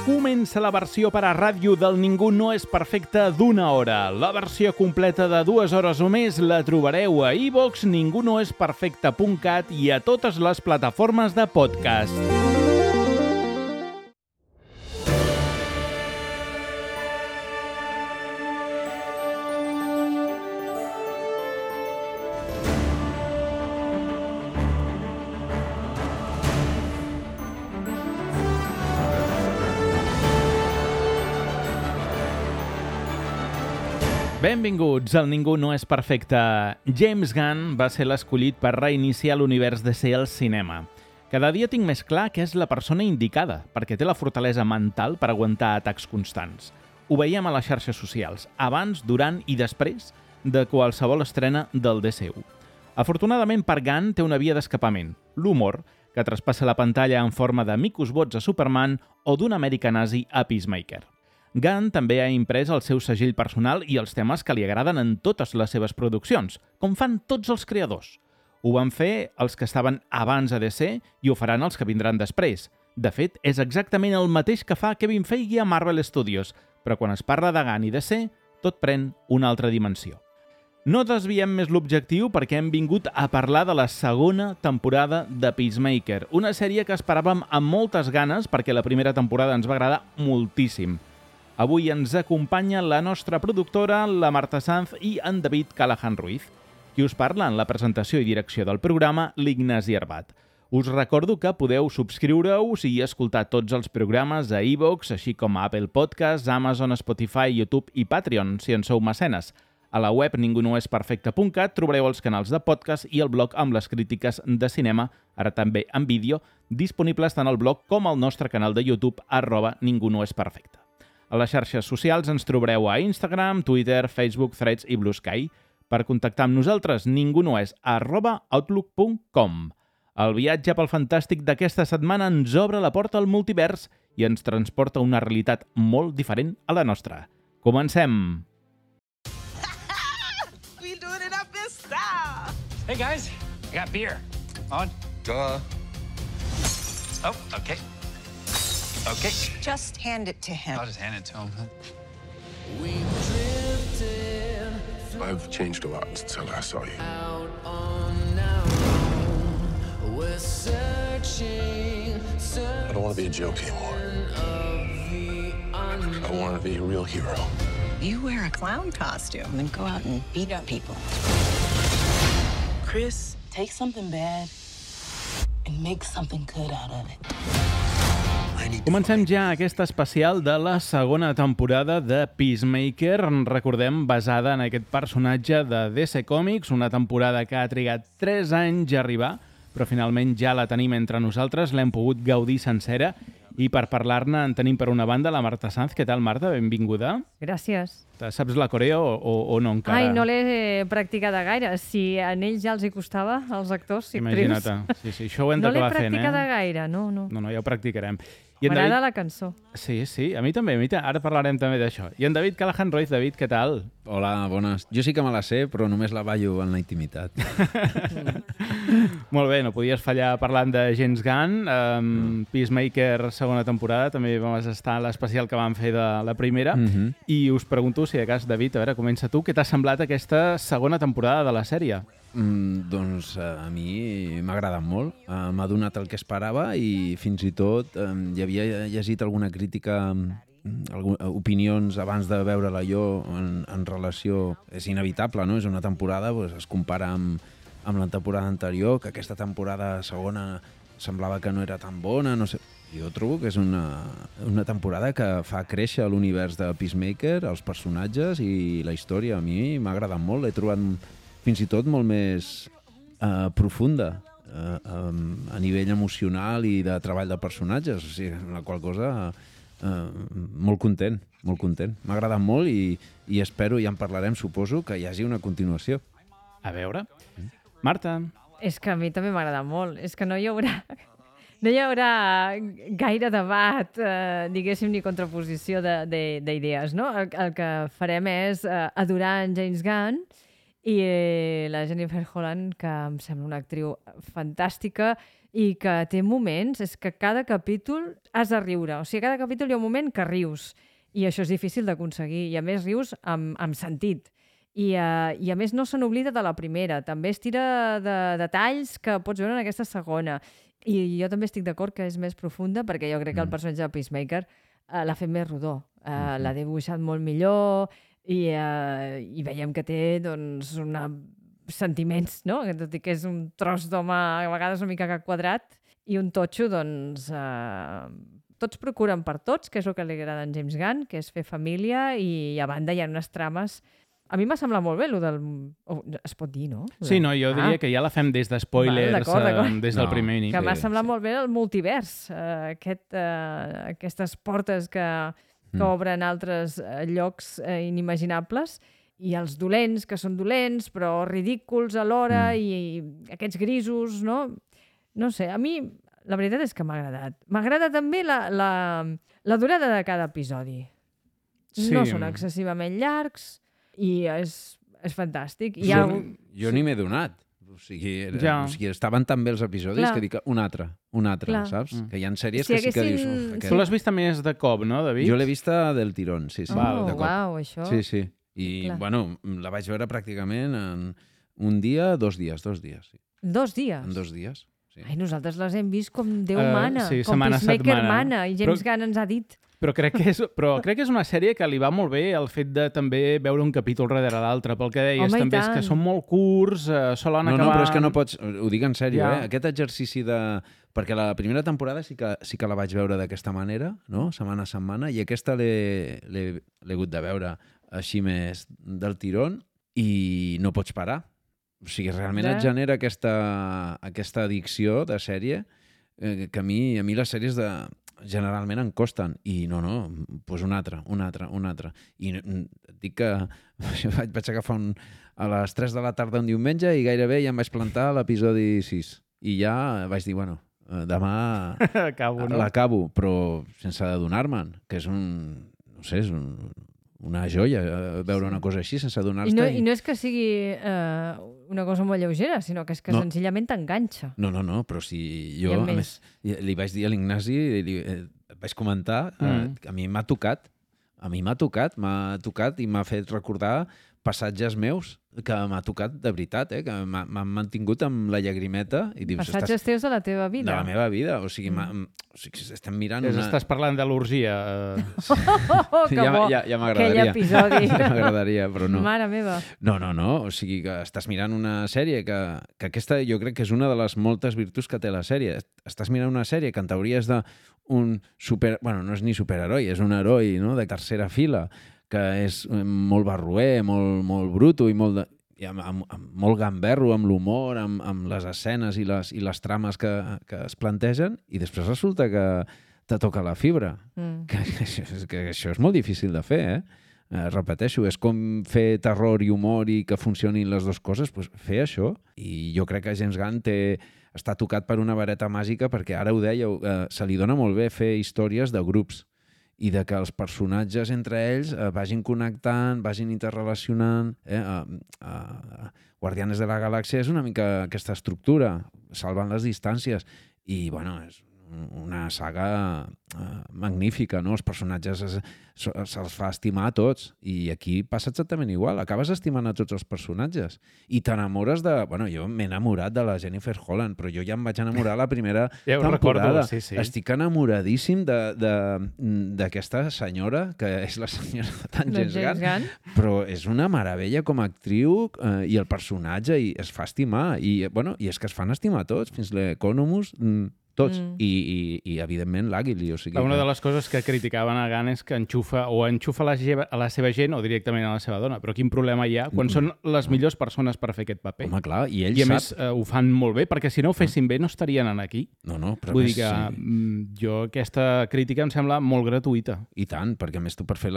Comença la versió per a ràdio del Ningú no és perfecte d'1 hora. La versió completa de 2 hores o més la trobareu a iVoox, ningunoesperfecte.cat i a totes les plataformes de podcast. Benvinguts al Ningú no és perfecte. James Gunn va ser l'escollit per reiniciar l'univers DC al cinema. Cada dia tinc més clar que és la persona indicada, perquè té la fortalesa mental per aguantar atacs constants. Ho veiem a les xarxes socials, abans, durant i després de qualsevol estrena del DCU. Afortunadament per Gunn té una via d'escapament, l'humor, que traspassa la pantalla en forma de micos bots a Superman o d'un Amèrica nazi a Peacemaker. Gunn també ha imprès el seu segell personal i els temes que li agraden en totes les seves produccions, com fan tots els creadors. Ho van fer els que estaven abans a DC i ho faran els que vindran després. De fet, és exactament el mateix que fa Kevin Feige a Marvel Studios, però quan es parla de Gunn i DC, tot pren una altra dimensió. No desviem més l'objectiu perquè hem vingut a parlar de la segona temporada de Peacemaker, una sèrie que esperàvem amb moltes ganes perquè la primera temporada ens va agradar moltíssim. Avui ens acompanya la nostra productora, la Marta Sanz i en David Callahan Ruiz. Qui us parla en la presentació i direcció del programa, l'Ignasi Arbat. Us recordo que podeu subscriure-us i escoltar tots els programes a iVoox, així com a Apple Podcasts, Amazon, Spotify, YouTube i Patreon, si en sou mecenes. A la web ningunoesperfecte.cat trobareu els canals de podcast i el blog amb les crítiques de cinema, ara també en vídeo, disponibles tant al blog com al nostre canal de YouTube, @ningunoesperfecte. A les xarxes socials ens trobareu a Instagram, Twitter, Facebook, Threads i Blue Sky. Per contactar amb nosaltres, ningunoes@outlook.com. El viatge pel fantàstic d'aquesta setmana ens obre la porta al multivers i ens transporta a una realitat molt diferent a la nostra. Comencem! We doing it up in style. Hey guys, I got beer. On. Duh. Oh, okay. Okay. Just hand it to him. I'll just hand it to him. I've changed a lot since I last saw you. I don't want to be a joke anymore. I want to be a real hero. You wear a clown costume and go out and beat up people. Chris, take something bad and make something good out of it. Comencem ja aquesta especial de la segona temporada de Peacemaker, recordem, basada en aquest personatge de DC Comics, una temporada que ha trigat 3 anys a arribar, però finalment ja la tenim entre nosaltres, l'hem pogut gaudir sencera, i per parlar-ne en tenim per una banda la Marta Sanz. Què tal, Marta? Benvinguda. Gràcies. Saps la coreo o no encara? Ai, no l'he practicada gaire. Si a ells ja els hi costava, als actors, si Imagina't. Sí, això ho hem d'acabar fent, No l'he practicada gaire, no. No, ja ho practicarem. M'agrada la cançó. Sí, a mi també. Ara parlarem també d'això. I en David Callahan Ruiz. David, què tal? Hola, bones. Jo sí que me la sé, però només la ballo en la intimitat. Molt bé, no podies fallar parlant de James Gunn. Peacemaker, segona temporada, també vam estar a l'especial que vam fer de la primera. I us pregunto, si de cas, David, a veure, comença tu. Què t'ha semblat aquesta segona temporada de la sèrie? Doncs a mi m'ha agradat molt. M'ha donat el que esperava i fins i tot hi havia llegit alguna crítica, opinions abans de veure-la jo en relació... És inevitable, no? És una temporada, doncs, es compara amb la temporada anterior, que aquesta temporada segona semblava que no era tan bona, no sé. Jo trobo que és una temporada que fa créixer l'univers de Peacemaker, els personatges i la història. A mi m'ha agradat molt, l'he trobat fins i tot molt més profunda a nivell emocional i de treball de personatges, o sigui, la qual cosa molt content. M'ha agradat molt i espero, ja en parlarem, suposo, que hi hagi una continuació. A veure. Marta. És que a mi també m'ha agradat molt. És que no hi haurà gaire debat, diguéssim, ni contraposició d'idees, no? El que farem és adorar en James Gunn i la Jennifer Holland, que em sembla una actriu fantàstica, i que té moments, és que cada capítol has de riure. O sigui, cada capítol hi ha un moment que rius i això és difícil d'aconseguir. I a més rius amb sentit. I a més no se n'oblida de la primera. També es tira de detalls que pots veure en aquesta segona. I jo també estic d'acord que és més profunda perquè jo crec que el personatge de Peacemaker l'ha fet més rodó. L'ha dibuixat molt millor i veiem que té doncs, sentiments, no? Tot i que és un tros d'home a vegades una mica quadrat i un totxo, doncs... tots procuren per tots, que és el que li agrada a en James Gunn, que és fer família i a banda hi ha unes trames... A mi m'ha semblat molt bé, el del... es pot dir, no? Sí, no, jo diria que ja la fem des de spoilers, d'acord. des del primer inici. Que m'ha semblat molt bé el multivers, aquestes portes que obren altres llocs inimaginables i els dolents, que són dolents, però ridículs alhora, i aquests grisos, no? No sé, a mi la veritat és que m'ha agradat. M'agrada també la durada de cada episodi. Sí. No són excessivament llargs i és fantàstic. Jo ni m'he donat. O sigui, estaven tan bé els episodis que dic un altre, saps? Que hi ha sèries que sí que dius... Tu l'has vista més de cop, no, David? Jo l'he vista del tirón, sí. Uau, això... Sí. I, bueno, la vaig veure pràcticament en un dia, 2 dies. 2 dies. En 2 dies? En 2 dies, sí. Ai, nosaltres les hem vist com Déu mana, sí, com Peacemaker mana, i James Gunn ens ha dit... Però crec que és una sèrie que li va molt bé el fet de també veure un capítol darrere l'altre, pel que deies, també és que són molt curts, solen acabar... No, però és que no pots... Ho dic en sèrio, Aquest exercici de... Perquè la primera temporada sí que la vaig veure d'aquesta manera, no? Setmana a setmana, i aquesta l'he hagut de veure així més del tirón i no pots parar. O sigui, realment et genera aquesta addicció de sèrie que a mi les sèries generalment em costen. I no, doncs una altra. I et dic que vaig agafar a les 3 de la tarda un diumenge i gairebé ja em vaig plantar a l'episodi 6. I ja vaig dir, bueno, demà l'acabo, però sense adonar-me'n, que és és una joia veure una cosa així sense adonar-te. I no és que sigui una cosa molt lleugera, sinó que és que senzillament t'enganxa. No, però si jo, a més, li vaig dir a l'Ignasi, vaig comentar, a mi m'ha tocat i m'ha fet recordar passatges meus que m'ha tocat de veritat, que m'han mantingut amb la llagrimeta. I dius, passatges teus de la teva vida. De la meva vida. O sigui, estem mirant... Estàs parlant de l'orgia. Que bo, ja m'agradaria. aquell episodi. Ja m'agradaria, però no. Mare meva. No. O sigui, que estàs mirant una sèrie que aquesta jo crec que és una de les moltes virtuts que té la sèrie. Estàs mirant una sèrie que en teoria és d'un Bueno, no és ni superheroi, és un heroi, no?, de tercera fila, que és molt barroer, molt bruto i molt gamberro amb l'humor, amb les escenes i les trames que es plantegen, i després resulta que te toca la fibra. Que això és molt difícil de fer, repeteixo, és com fer terror i humor i que funcionin les dues coses, doncs fer això. I jo crec que James Gunn està tocat per una vareta màgica, perquè ara ho dèieu, se li dona molt bé fer històries de grups i de que els personatges entre ells vagin connectant, vagin interrelacionant. Guardianes de la Galàxia és una mica aquesta estructura, salvant les distàncies. I, bueno, és una saga magnífica, no? Els personatges se'ls fa estimar a tots, i aquí passa exactament igual, acabes estimant a tots els personatges i t'enamores de... Bueno, jo m'he enamorat de la Jennifer Holland, però jo ja em vaig enamorar la primera temporada. Sí. Estic enamoradíssim d'aquesta senyora, que és la senyora de James Gunn, però és una meravella com a actriu, i el personatge, i es fa estimar, i és que es fan estimar tots, fins l'Economus, tots, i evidentment l'Àguili. Una de les coses que criticaven a Gunn és que enxufa a la seva gent o directament a la seva dona, però quin problema hi ha quan són les millors persones per fer aquest paper? Home, clar, i ell sap... I a més ho fan molt bé, perquè si no ho fessin bé no estarien aquí. No, però vull dir que jo aquesta crítica em sembla molt gratuïta. I tant, perquè a més tu per fer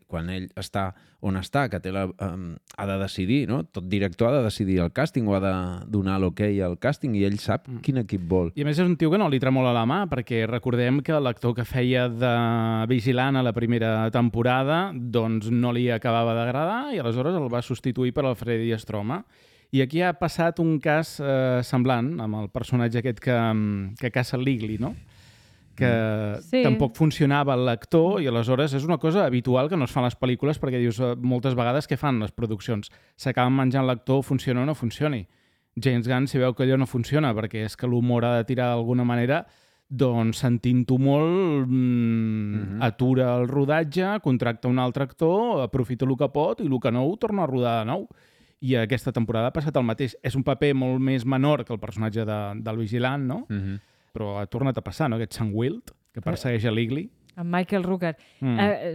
quan ell està on està, que ha de decidir, no? Tot director ha de decidir el càsting o ha de donar l'ok al càsting, i ell sap quin equip vol. I a més és un tio que no li tremola la mà, perquè recordem que l'actor que feia de vigilant a la primera temporada doncs no li acabava d'agradar i aleshores el va substituir per Alfred Stroma. I aquí ha passat un cas semblant amb el personatge aquest que caça l'Igli, no? Que tampoc funcionava l'actor i aleshores és una cosa habitual que no es fa a les pel·lícules perquè dius moltes vegades què fan les produccions? S'acaben menjant l'actor, funciona o no funcioni. James Gunn, si veu que allò no funciona perquè és que l'humor ha de tirar d'alguna manera, doncs sentint-ho molt atura el rodatge, contracta un altre actor, aprofita el que pot i el que no ho torna a rodar de nou. I aquesta temporada ha passat el mateix. És un paper molt més menor que el personatge del vigilant, no? Però ha tornat a passar, no? Aquest Sam Wild, que persegueix a l'Igli. Amb Michael Rooker.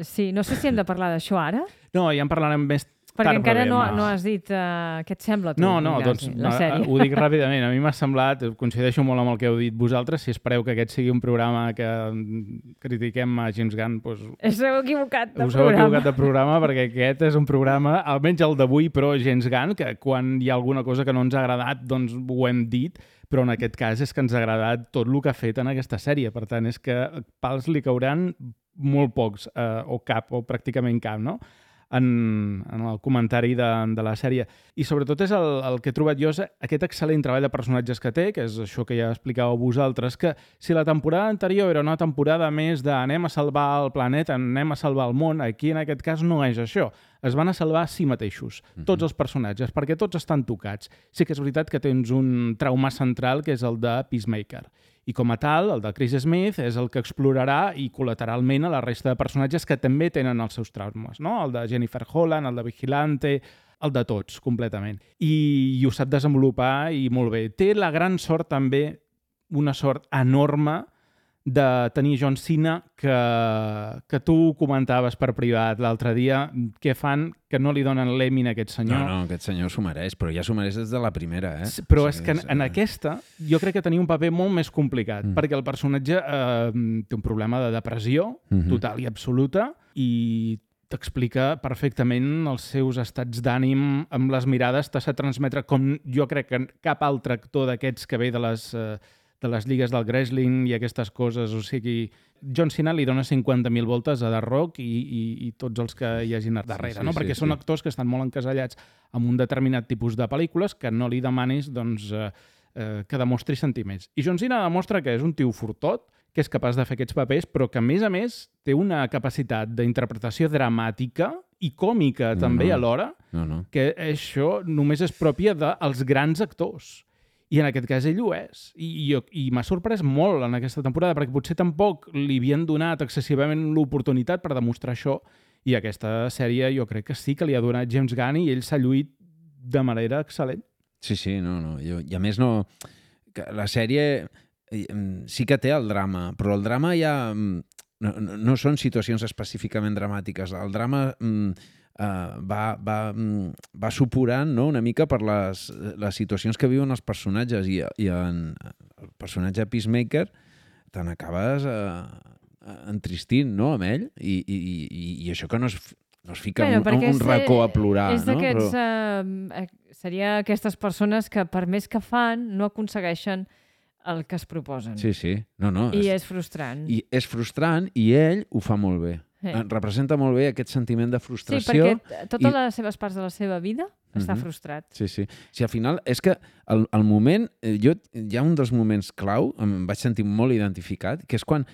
Sí, no sé si hem de parlar d'això ara. No, ja en parlarem més perquè encara no has dit què et sembla tu, doncs, la sèrie. Ho dic ràpidament. A mi m'ha semblat, coincideixo molt amb el que heu dit vosaltres, si espereu que aquest sigui un programa que critiquem a James Gunn, doncs... Us heu equivocat de programa perquè aquest és un programa, almenys el d'avui, però James Gunn, que quan hi ha alguna cosa que no ens ha agradat, doncs ho hem dit, però en aquest cas és que ens ha agradat tot el que ha fet en aquesta sèrie. Per tant, és que pals li cauran molt pocs, o cap, o pràcticament cap, no? En el comentari de la sèrie. I sobretot és el que he trobat jo, aquest excel·lent treball de personatges que té, que és això que ja explicàveu vosaltres, que si la temporada anterior era una temporada més de anem a salvar el planeta, anem a salvar el món, aquí en aquest cas no és això. Es van a salvar a si mateixos, tots els personatges, perquè tots estan tocats. Sí que és veritat que tens un trauma central, que és el de Peacemaker. I com a tal, el de Chris Smith és el que explorarà i col·lateralment a la resta de personatges que també tenen els seus traumes, no? El de Jennifer Holland, el de Vigilante, el de tots, completament. I ho sap desenvolupar i molt bé. Té la gran sort també, una sort enorme, de tenir John Cena, que tu comentaves per privat l'altre dia, què fan que no li donen l'Emmy a aquest senyor. No, aquest senyor s'ho mereix, però ja s'ho mereix des de la primera, eh? Però és que en aquesta jo crec que tenia un paper molt més complicat, perquè el personatge té un problema de depressió total i absoluta i t'explica perfectament els seus estats d'ànim amb les mirades, t'ha de transmetre com jo crec que cap altre actor d'aquests que ve de les lligues del wrestling i aquestes coses, o sigui, John Cena li dona 50.000 voltes a The Rock i tots els que hi hagin darrere, no? Perquè són actors que estan molt encasellats amb un determinat tipus de pel·lícules que no li demanis doncs, que demostri sentiments. I John Cena demostra que és un tio fortot, que és capaç de fer aquests papers, però que a més té una capacitat d'interpretació dramàtica i còmica també alhora, que això només és pròpia dels grans actors. I en aquest cas ell ho és. I m'ha sorprès molt en aquesta temporada, perquè potser tampoc li havien donat excessivament l'oportunitat per demostrar això, i aquesta sèrie jo crec que sí que li ha donat James Gunn i ell s'ha lluït de manera excel·lent. Sí, no. I a més la sèrie sí que té el drama, però el drama ja no són situacions específicament dramàtiques. El drama va suporant, no?, una mica per les situacions que viuen els personatges i en el personatge Peacemaker te n'acabes entristint, no?, amb ell i això que no es fica en un racó a plorar, és no? Seria aquestes persones que per més que fan no aconsegueixen el que es proposen. Sí. No, I és frustrant. I és frustrant i ell ho fa molt bé. Representa molt bé aquest sentiment de frustració. Sí, perquè totes les seves parts de la seva vida està frustrat. Sí. Si al final és que el moment... Hi ha un dels moments clau, em vaig sentir molt identificat, que és quan...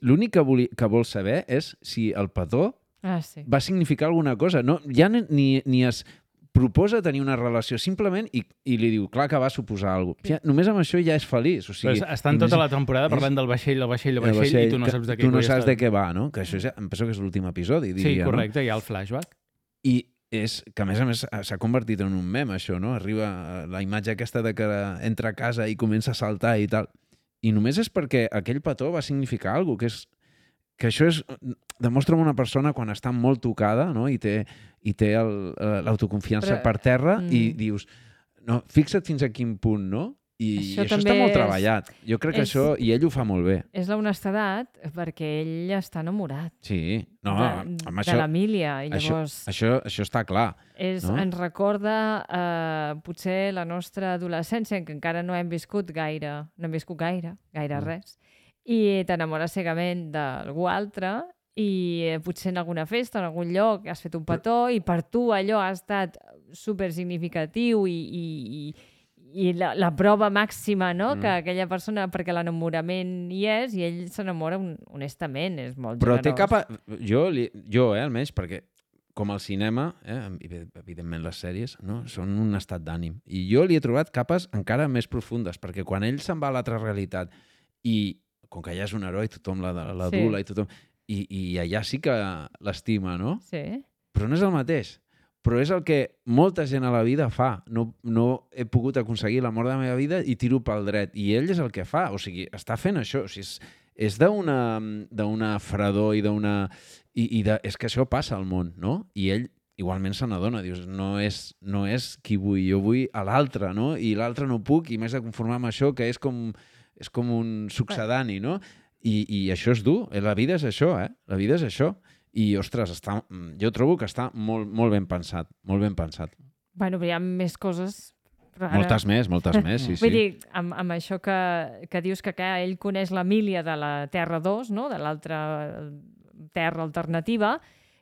L'únic que vol saber és si el petó va significar alguna cosa. No, ja ni es proposa tenir una relació simplement i li diu, clar que va suposar alguna cosa. Ja, només amb això ja és feliç. O sigui, estan tota la temporada parlant del vaixell i tu no saps de què tu no saps de què va, no? Que això em penso que és l'últim episodi, diria. Sí, correcte, hi ha el flashback. I és que, a més, s'ha convertit en un mem, això, no? Arriba la imatge aquesta de que entra a casa i comença a saltar i tal. I només és perquè aquell petó va significar alguna cosa, que això demostra una persona quan està molt tocada, no? I té l'autoconfiança per terra i dius, no, fixa't fins a quin punt, no? I això està molt treballat. Jo crec que això, i ell ho fa molt bé. És l'honestedat perquè ell està enamorat. Sí. No, de l'Emília. Això està clar. Ens recorda potser la nostra adolescència, en què encara no hem viscut gaire res, i t'enamores cegament d'algú altre i potser en alguna festa, en algun lloc, has fet un petó i per tu allò ha estat super significatiu i la prova màxima, no? Que aquella persona, perquè l'enamorament hi és, i ell s'enamora honestament, és molt Però generós. Jo, almenys, perquè com al cinema, evidentment les sèries, no? Són un estat d'ànim. I jo li he trobat capes encara més profundes, perquè quan ell se'n va a l'altra realitat i, com que ja és un heroi, tothom l'adula i tothom... I allà sí que l'estima, no? Sí. Però no és el mateix. Però és el que molta gent a la vida fa. No he pogut aconseguir l'amor de la meva vida i tiro pel dret. I ell és el que fa. O sigui, està fent això. O sigui, és d'una fredor i d'una... És que això passa al món, no? I ell igualment se n'adona. Dius, no és qui vull. Jo vull a l'altre, no? I l'altre no puc i m'he de conformar amb això, que és com un succedani, no? I això és dur. La vida és això, La vida és això. I, ostres, jo trobo que està molt, molt ben pensat. Molt ben pensat. Bueno, però hi ha més coses. Ara... Moltes més, sí. Vull dir, amb això que dius que ell coneix l'Emília de la Terra 2, no? De l'altra terra alternativa,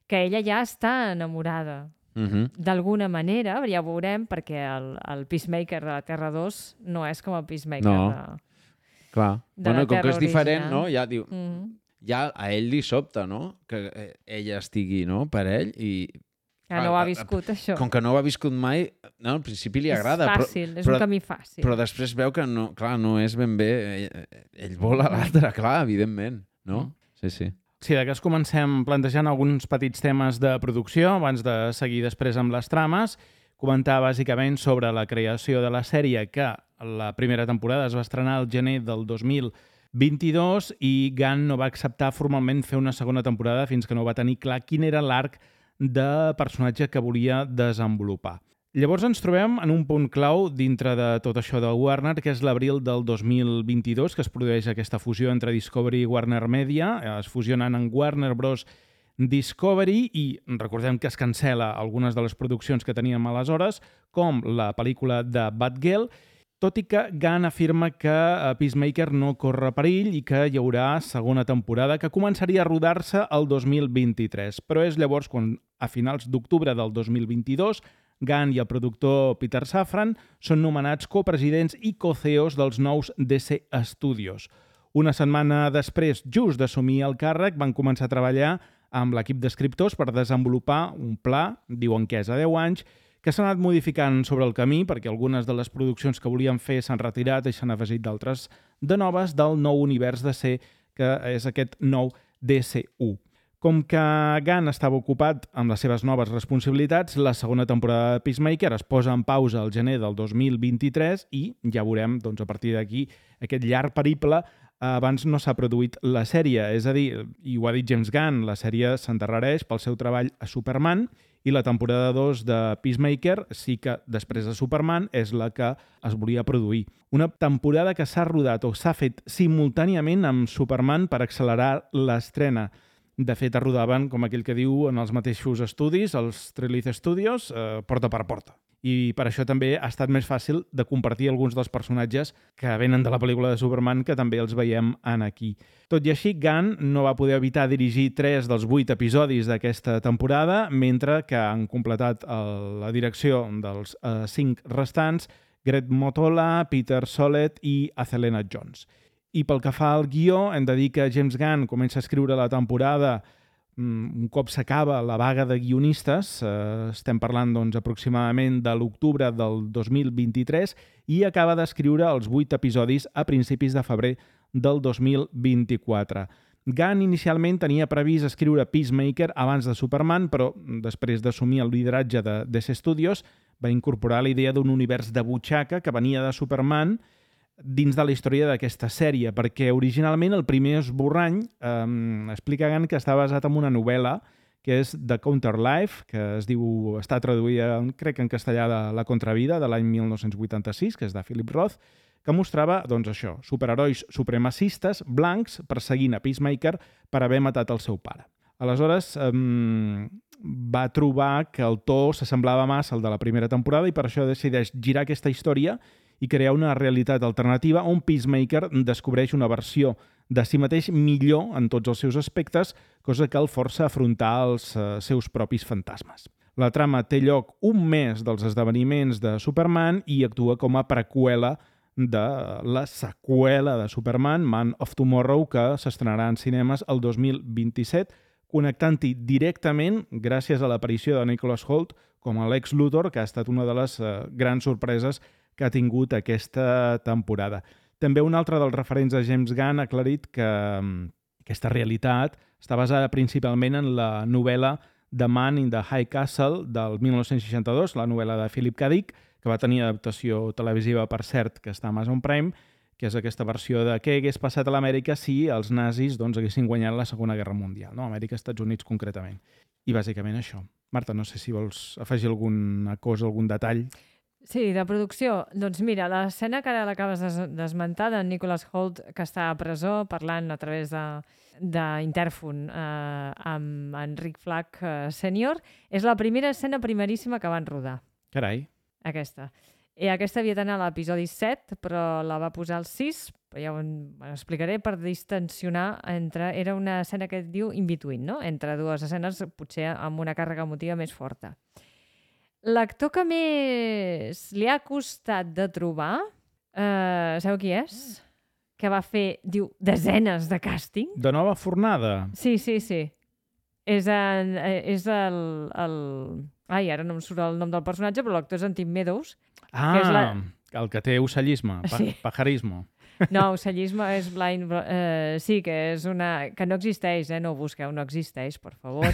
que ella ja està enamorada. D'alguna manera, ja ho veurem, perquè el Peacemaker de la Terra 2 no és com el Peacemaker Clar. de la com Terra que és diferent, original. no? Ja diu... Ja a ell li sobta, no? Que ella estigui, no? Per ell i... Que no ho ha viscut, això. Com que no ho ha viscut mai, al principi li agrada. És fàcil, és un camí fàcil. Però després veu que no és ben bé... Ell vol a l'altre, clar, evidentment, no? Sí. Sí, de cas comencem plantejant alguns petits temes de producció, abans de seguir després amb les trames. Comentar bàsicament sobre la creació de la sèrie, que la primera temporada es va estrenar al gener del 2022 i Gunn no va acceptar formalment fer una segona temporada fins que no va tenir clar quin era l'arc de personatge que volia desenvolupar. Llavors ens trobem en un punt clau dintre de tot això de Warner, que és l'abril del 2022, que es produeix aquesta fusió entre Discovery i Warner Media. Es fusionen en Warner Bros. Discovery i recordem que es cancela algunes de les produccions que teníem aleshores, com la pel·lícula de Batgirl, tot i que Gunn afirma que Peacemaker no corre perill i que hi haurà segona temporada que començaria a rodar-se el 2023. Però és llavors quan, a finals d'octubre del 2022, Gunn i el productor Peter Safran són nomenats copresidents i co-CEOs dels nous DC Studios. Una setmana després, just d'assumir el càrrec, van començar a treballar amb l'equip d'escriptors per desenvolupar un pla, diuen que és a 10 anys, que s'ha anat modificant sobre el camí perquè algunes de les produccions que volien fer s'han retirat i s'han afegit d'altres de noves del nou univers DC, que és aquest nou DCU. Com que Gunn estava ocupat amb les seves noves responsabilitats, la segona temporada de Peacemaker es posa en pausa al gener del 2023 i ja veurem, doncs, a partir d'aquí, aquest llarg periple. Abans no s'ha produït la sèrie, és a dir, i ho ha dit James Gunn, la sèrie s'endarrereix pel seu treball a Superman i la temporada 2 de Peacemaker sí que després de Superman és la que es volia produir. Una temporada que s'ha rodat o s'ha fet simultàniament amb Superman per accelerar l'estrena. De fet, es rodaven, com aquell que diu, en els mateixos estudis, els Treleaze Studios, porta per porta. I per això també ha estat més fàcil de compartir alguns dels personatges que venen de la pel·lícula de Superman, que també els veiem en aquí. Tot i així, Gunn no va poder evitar dirigir 3 dels 8 episodis d'aquesta temporada, mentre que han completat la direcció dels 5 restants Greg Mottola, Peter Sollett i Azelena Jones. I pel que fa al guió, hem de dir que James Gunn comença a escriure la temporada un cop s'acaba la vaga de guionistes, estem parlant doncs, aproximadament de l'octubre del 2023, i acaba d'escriure els 8 episodis a principis de febrer del 2024. Gunn inicialment tenia previst escriure Peacemaker abans de Superman, però després d'assumir el lideratge de DC Studios va incorporar la idea d'un univers de butxaca que venia de Superman dins de la història d'aquesta sèrie, perquè originalment el primer esborrany explica Gunn que està basat en una novel·la que és The Counter Life, que està traduïda, crec, en castellà de La Contravida, de l'any 1986, que és de Philip Roth, que mostrava, doncs això, superherois supremacistes blancs perseguint a Peacemaker per haver matat el seu pare. Aleshores, va trobar que el to s'assemblava massa al de la primera temporada i per això decideix girar aquesta història i crear una realitat alternativa on Peacemaker descobreix una versió de si mateix millor en tots els seus aspectes, cosa que el força a afrontar els seus propis fantasmes. La trama té lloc un mes dels esdeveniments de Superman i actua com a preqüela de la seqüela de Superman, Man of Tomorrow, que s'estrenarà en cinemes el 2027, connectant-hi directament gràcies a l'aparició de Nicholas Hoult com a Lex Luthor, que ha estat una de les grans sorpreses que ha tingut aquesta temporada. També un altre dels referents de James Gunn ha aclarit que aquesta realitat està basada principalment en la novel·la The Man in the High Castle del 1962, la novel·la de Philip K. Dick, que va tenir adaptació televisiva, per cert, que està a Amazon Prime, que és aquesta versió de què hagués passat a l'Amèrica si els nazis haguessin guanyat la Segona Guerra Mundial, no? Amèrica, Estats Units concretament. I bàsicament això. Marta, no sé si vols afegir alguna cosa, algun detall. Sí, de producció. Doncs mira, l'escena que ara l'acabes d'esmentar de Nicholas Hoult, que està a presó parlant a través d'Interfon amb Enric Flack sènior, és la primera escena primeríssima que van rodar. Carai. Aquesta. I aquesta havia d'anar a l'episodi 7, però la va posar al 6, però ja ho explicaré, per distensionar entre... Era una escena que es diu in-between, no? Entre dues escenes, potser amb una càrrega emotiva més forta. L'actor que més li ha costat de trobar, sabeu qui és? Que va fer, diu, desenes de càsting. De nova fornada? Sí. És el... Ai, ara no em surt el nom del personatge, però l'actor és en Tim Meadows. Ah, és el que té ocellisme, sí. Pajarismo. No, ocellisme és blind... sí, que és una... que no existeix, no ho busqueu, no existeix, per favor.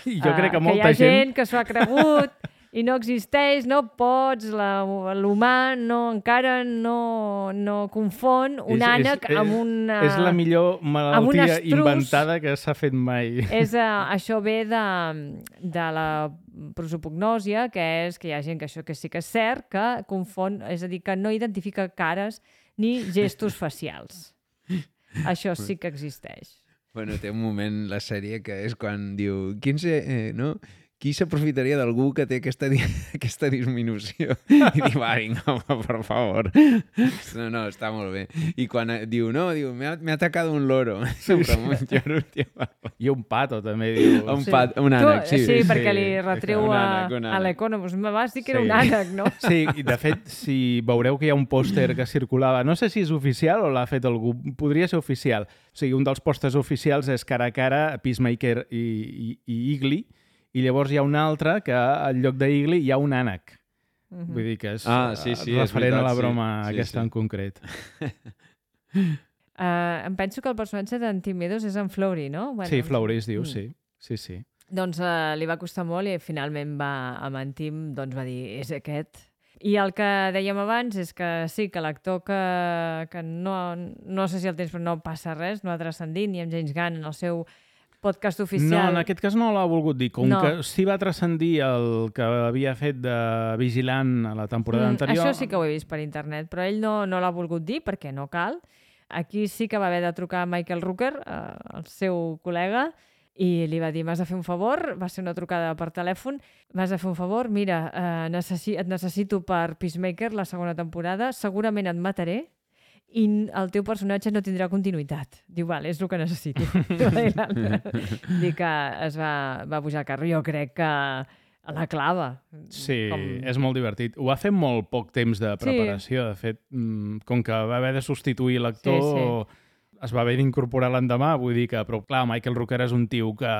Jo crec que molta gent... Que hi ha gent que s'ho ha cregut i no existeix, no pots, l'humà encara no confon un ànec amb una... És la millor malaltia inventada que s'ha fet mai. Això ve de la prosopognòsia, que és que hi ha gent que això que sí que és cert, que confon, és a dir, que no identifica cares ni gestos facials. Això sí que existeix. Bueno, té un moment la sèrie que és quan diu no? Qui s'aprofitaria d'algú que té aquesta disminució? I diu, vinga, home, per favor. No, està molt bé. I quan diu, m'ha atacat un loro. Sempre amb un lloro. I un pato, també, diu. Un ànec, sí. Sí, perquè li retreu a l'Economos. Me vas dir que era un ànec, no? Sí, i de fet, si veureu que hi ha un pòster que circulava, no sé si és oficial o l'ha fet algú, podria ser oficial. O sigui, un dels pòsters oficials és cara a cara Peacemaker i Eagly, i llavors hi ha un altre que al lloc d'Eagly hi ha un ànec. Vull dir que és referent a la broma aquesta en concret. Em penso que el personatge d'en Tim Meadows és en Flowry, no? Sí, Flowry es diu, sí. Doncs li va costar molt i finalment amb en Tim va dir, és aquest. I el que dèiem abans és que sí, que l'actor que no sé si el temps, però no passa res, no ha transcendit, ni amb James Gunn en el seu podcast oficial. No, en aquest cas no l'ha volgut dir. Com que sí va transcendir el que havia fet de Vigilant a la temporada anterior... Això sí que ho he vist per internet, però ell no l'ha volgut dir perquè no cal. Aquí sí que va haver de trucar a Michael Rooker, el seu col·lega, i li va dir, m'has de fer un favor, va ser una trucada per telèfon, m'has de fer un favor, mira, et necessito per Peacemaker la segona temporada, segurament et mataré, i el teu personatge no tindrà continuïtat. Diu, vale, és el que necessito. Dic que es va pujar al carro. Jo crec que la clava. Sí, és molt divertit. Ho ha fet molt poc temps de preparació. De fet, com que va haver de substituir l'actor, es va haver d'incorporar l'endemà. Vull dir que, però clar, Michael Rooker és un tio que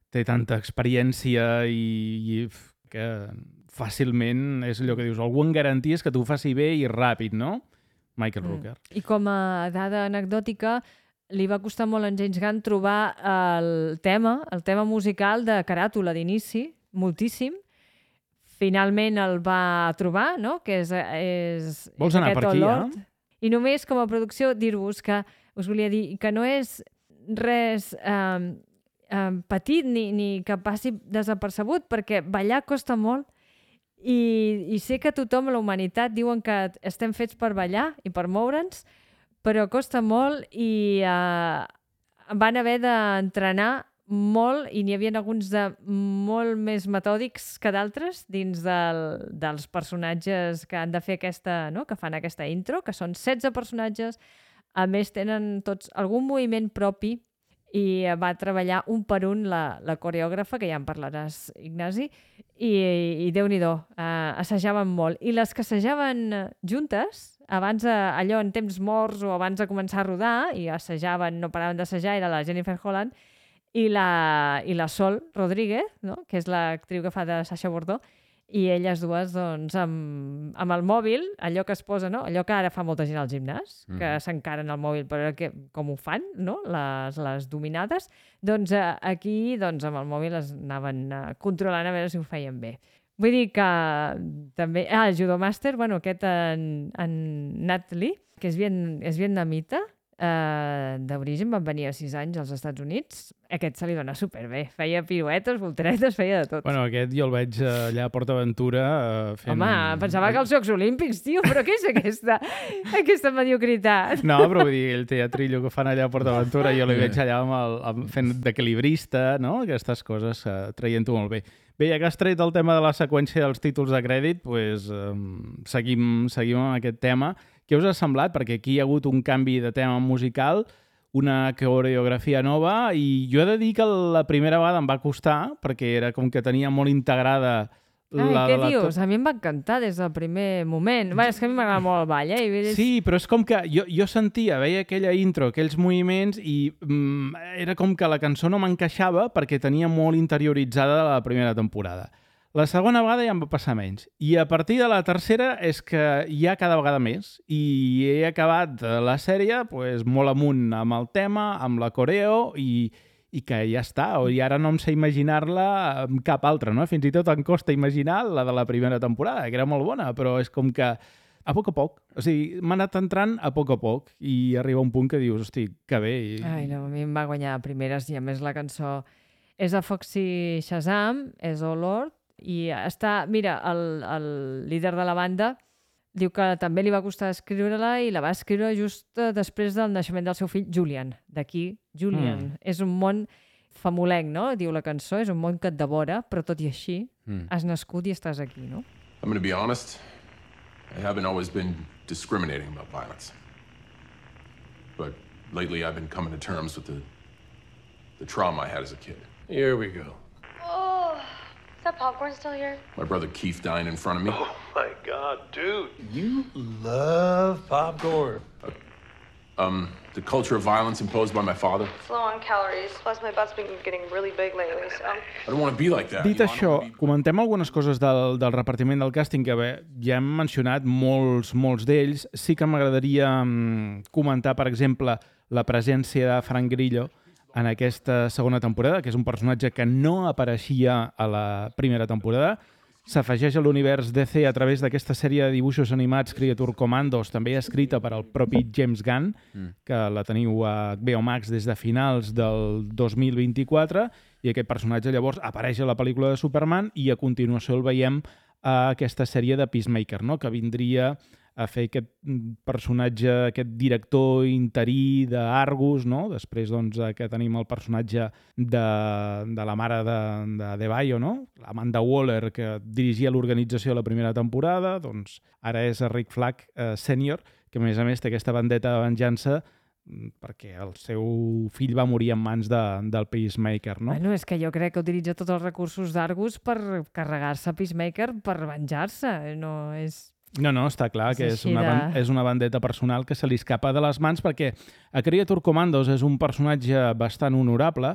té tanta experiència i que fàcilment és allò que dius, algú en garanties que t'ho faci bé i ràpid, no? Michael Rooker. I com a dada anecdòtica, li va costar molt a en James Gunn trobar el tema musical de caràtula d'inici, moltíssim. Finalment el va trobar, no? Que és vols anar per aquí, ja? I només com a producció dir-vos que us volia dir que no és res petit ni que passi desapercebut, perquè ballar costa molt. I sé que tothom a la humanitat diuen que estem fets per ballar i per moure'ns, però costa molt i van haver d'entrenar molt i n'hi havia alguns de molt més metòdics que d'altres dins dels personatges que han de fer que fan aquesta intro, que són 16 personatges, a més tenen tots algun moviment propi i va treballar un per un la coreògrafa, que ja en parlaràs, Ignasi, i Déu-n'hi-do, assajaven molt. I les que assajaven juntes, abans allò en temps morts o abans de començar a rodar, i assajaven, no paraven d'assajar, era la Jennifer Holland i la Sol Rodríguez, no? Que és l'actriu que fa de Sacha Bordó, i elles dues, doncs, amb el mòbil, allò que es posa, no? Allò que ara fa molta gent al gimnàs, que s'encaren al mòbil, però com ho fan, no? Les dominades, doncs aquí, doncs, amb el mòbil es anaven controlant a veure si ho feien bé. Vull dir que també... el judomàster, bueno, aquest en Nat Lee, que és vietnamita, d'origen, van venir a 6 anys als Estats Units. Aquest se li dona superbé. Feia piruetes, volteretes, feia de tot. Bueno, aquest jo el veig allà a PortAventura fent... Home, pensava que els Jocs Olímpics, tio, però què és aquesta mediocritat? No, però vull dir, el teatrillo que fan allà a PortAventura, jo l'hi veig allà fent d'equilibrista, no? Aquestes coses, traient-ho molt bé. Bé, ja que has tret el tema de la seqüència dels títols de crèdit, doncs, seguim amb aquest tema. Què us ha semblat? Perquè aquí hi ha hagut un canvi de tema musical, una coreografia nova, i jo he de dir que la primera vegada em va costar, perquè era com que tenia molt integrada... Què dius? A mi em va encantar des del primer moment. Bé, és que a mi m'agrada molt el ball, Sí, però és com que jo sentia, veia aquella intro, aquells moviments, i era com que la cançó no m'encaixava perquè tenia molt interioritzada la primera temporada. La segona vegada ja em va passar menys. I a partir de la tercera és que ja cada vegada més. I he acabat la sèrie doncs, molt amunt amb el tema, amb la coreo, i que ja està. I ara no em sé imaginar-la amb cap altra, no? Fins i tot em costa imaginar la de la primera temporada, que era molt bona, però és com que a poc a poc. O sigui, m'ha anat entrant a poc i arriba un punt que dius, hosti, que bé. Ai, no, a mi em va guanyar a primeres, i a més la cançó és de Foxy Shazam, és Oh Lord, i està, mira, el líder de la banda diu que també li va costar escriure-la i la va escriure just després del naixement del seu fill Julian. D'aquí, Julian. És un món famolenc, no? Diu la cançó, és un món que et devora, però tot i així has nascut i estàs aquí, no? I'm going to be honest. I haven't always been discriminating about violence. But lately I've been coming to terms with the trauma I had as a kid. Here we go. Is that popcorn still here? My brother Keith dying in front of me. Oh my God, dude. You love popcorn. The culture of violence imposed by my father. It's low on calories. Plus, my butt's been getting really big lately, so... I don't want to be like that. Dit això, comentem algunes coses del repartiment del càsting, que bé, ja hem mencionat molts d'ells. Sí que m'agradaria comentar, per exemple, la presència de Frank Grillo en aquesta segona temporada, que és un personatge que no apareixia a la primera temporada. S'afegeix a l'univers DC a través d'aquesta sèrie de dibuixos animats Creature Commandos, també escrita per al propi James Gunn, que la teniu a HBO Max des de finals del 2024, i aquest personatge llavors apareix a la pel·lícula de Superman i a continuació el veiem a aquesta sèrie de Peacemaker, no? Que vindria a fer aquest personatge, aquest director interí d'Argus, no? Després doncs, que tenim el personatge de la mare de Debaio, no? Amanda Waller, que dirigia l'organització de la primera temporada, doncs ara és Rick Flag sènior, que a més té aquesta vendetta de venjança perquè el seu fill va morir en mans del Peacemaker, no? Bueno, és que jo crec que utilitza tots els recursos d'Argus per carregar-se Peacemaker per venjar-se, no és... No, està clar que és una vendetta personal que se li escapa de les mans, perquè a Creature Commandos és un personatge bastant honorable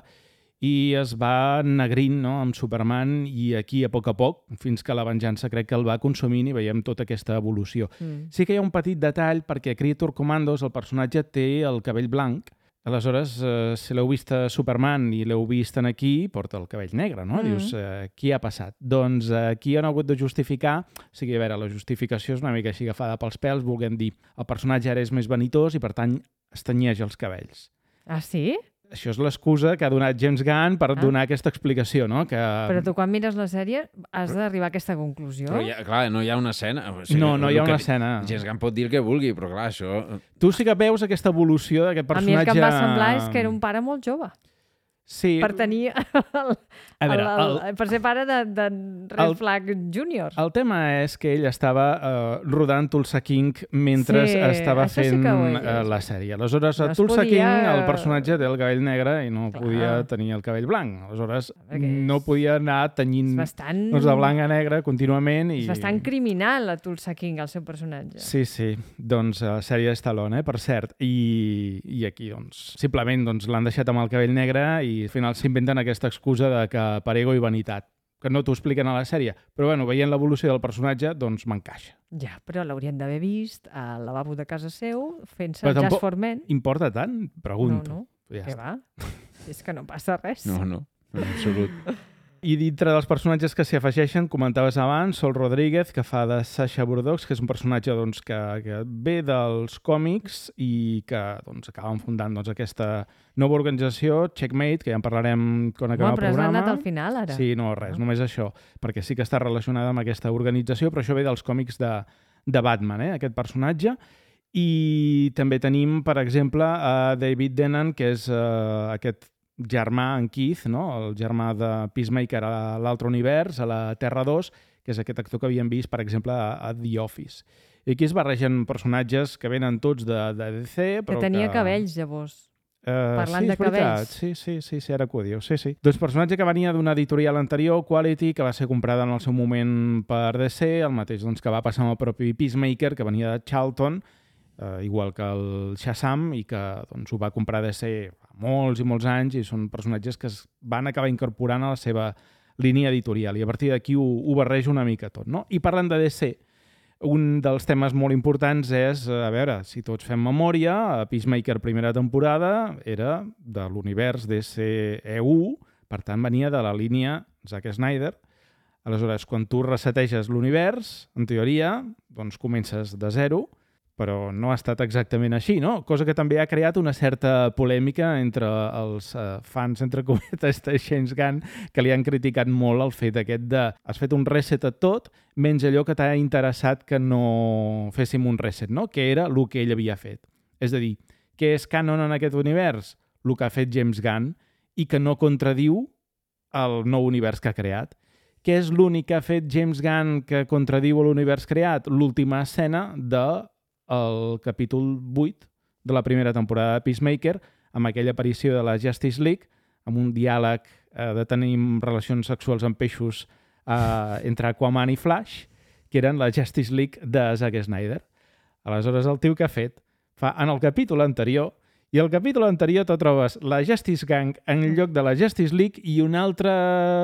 i es va ennegrint, no?, amb Superman, i aquí a poc, fins que la venjança crec que el va consumint i veiem tota aquesta evolució. Sí que hi ha un petit detall, perquè a Creature Commandos el personatge té el cabell blanc. Aleshores, si l'heu vist a Superman i l'heu vist aquí, porta el cabell negre, no? Dius, què ha passat? Doncs aquí han hagut de justificar, o sigui, a veure, la justificació és una mica així agafada pels pèls, volguem dir, el personatge ara és més vanitós i, per tant, es tenyeix els cabells. Ah, sí? Això és l'excusa que ha donat James Gunn per donar aquesta explicació, no? Que... Però tu quan mires la sèrie has d'arribar a aquesta conclusió? Però, clar, no hi ha una escena. O sigui, no hi ha una escena. James Gunn pot dir el que vulgui, però clar, això... Tu sí que veus aquesta evolució d'aquest personatge... A mi el que em va semblar és que era un pare molt jove. Sí. per tenir per ser pare de Red Flag Junior. El tema és que ell estava rodant Tulsa King mentre estava fent la sèrie. Aleshores, a Tulsa King el personatge té el cabell negre i no podia tenir el cabell blanc. Aleshores, no podia anar tenyint de blanc a negre contínuament. És bastant criminal a Tulsa King, el seu personatge. Sí. Doncs la sèrie Stallone, per cert. I aquí, doncs, simplement l'han deixat amb el cabell negre i al final s'inventen aquesta excusa de que per ego i vanitat, que no t'ho expliquen a la sèrie. Però, bueno, veient l'evolució del personatge, doncs m'encaixa. Ja, però l'haurien d'haver vist al lavabo de casa seu, fent-se Just for Men. Importa tant? Pregunto. No. Què va? És que no passa res. No, en absolut. I dintre dels personatges que s'hi afegeixen, comentaves abans, Sol Rodríguez, que fa de Sasha Burdock, que és un personatge que ve dels còmics i que acaben fundant aquesta nova organització, Checkmate, que ja en parlarem quan acabem el programa. Però has anat al final, ara. Sí, no, res, només això, perquè sí que està relacionada amb aquesta organització, però això ve dels còmics de Batman, aquest personatge. I també tenim, per exemple, a David Tennant, que és aquest germà en Keith, no? El germà de Peacemaker a l'altre univers, a la Terra 2, que és aquest actor que havíem vist, per exemple, a The Office. I aquí es barregen personatges que venen tots de DC, però que tenia cabells, llavors. Parlant de cabells. Sí, ara que ho diu. Sí. Doncs personatge que venia d'una editorial anterior, Quality, que va ser comprada en el seu moment per DC, el mateix que va passar amb el propi Peacemaker, que venia de Charlton, igual que el Shazam, i que ho va comprar DC fa molts i molts anys, i són personatges que es van acabar incorporant a la seva línia editorial, i a partir d'aquí ho barreja una mica tot, no? I parlant de DC, un dels temes molt importants és, a veure, si tots fem memòria, Peacemaker primera temporada era de l'univers DCEU, per tant venia de la línia Zack Snyder. Aleshores, quan tu reseteges l'univers, en teoria, doncs comences de zero, però no ha estat exactament així, no? Cosa que també ha creat una certa polèmica entre els fans, entre cometes, de James Gunn, que li han criticat molt el fet aquest de has fet un reset a tot, menys allò que t'ha interessat que no féssim un reset, no? Que era el que ell havia fet. És a dir, què és canon en aquest univers? El que ha fet James Gunn i que no contradiu el nou univers que ha creat. Què és l'únic que ha fet James Gunn que contradiu l'univers creat? L'última escena del capítol 8 de la primera temporada de Peacemaker, amb aquella aparició de la Justice League, amb un diàleg de tenir relacions sexuals amb peixos entre Aquaman i Flash, que eren la Justice League de Zack Snyder. Aleshores, el tio que ha fet fa en el capítol anterior, i al capítol anterior tu trobes la Justice Gang en lloc de la Justice League i un altre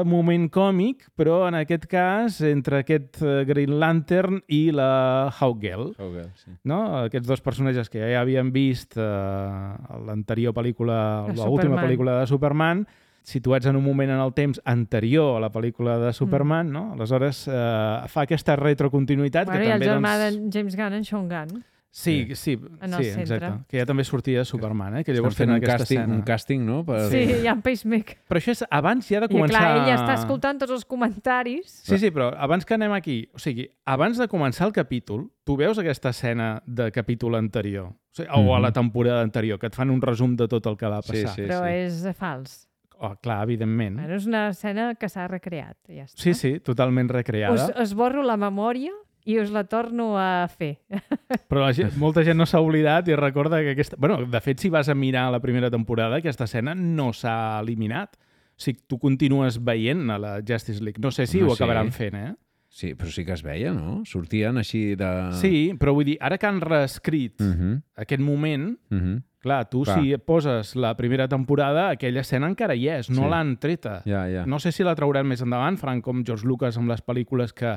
moment còmic, però en aquest cas entre aquest Green Lantern i la Hawkgirl. Sí. No? Aquests dos personatges que ja havíem vist a l'anterior pel·lícula, l'última pel·lícula de Superman, situats en un moment en el temps anterior a la pel·lícula de Superman, no? Aleshores fa aquesta retrocontinuïtat. Bueno, i el germà de James Gunn, en Sean Gunn. Sí, exacte. Que ja també sortia de Superman, que llavors tenen aquesta escena. Un càsting, no? Sí, hi ha un pacemaker. Però això és abans ja de començar... I clar, ell està escoltant tots els comentaris. Sí, però abans que anem aquí, o sigui, abans de començar el capítol, tu veus aquesta escena de capítol anterior, o a la temporada anterior, que et fan un resum de tot el que va passar. Sí. Però és fals. Oh, clar, evidentment. Bueno, és una escena que s'ha recreat. Ja està. Sí, totalment recreada. Esborro la memòria i us la torno a fer. Però molta gent no s'ha oblidat i recorda que aquesta... Bueno, de fet, si vas a mirar la primera temporada, aquesta escena no s'ha eliminat. O sigui, tu continues veient a la Justice League. No sé si ho acabaran fent, Sí, però sí que es veia, no? Sortien així de... Sí, però vull dir, ara que han reescrit aquest moment, clar, tu si poses la primera temporada, aquella escena encara hi és, no l'han treta. No sé si la trauran més endavant, faran com George Lucas amb les pel·lícules que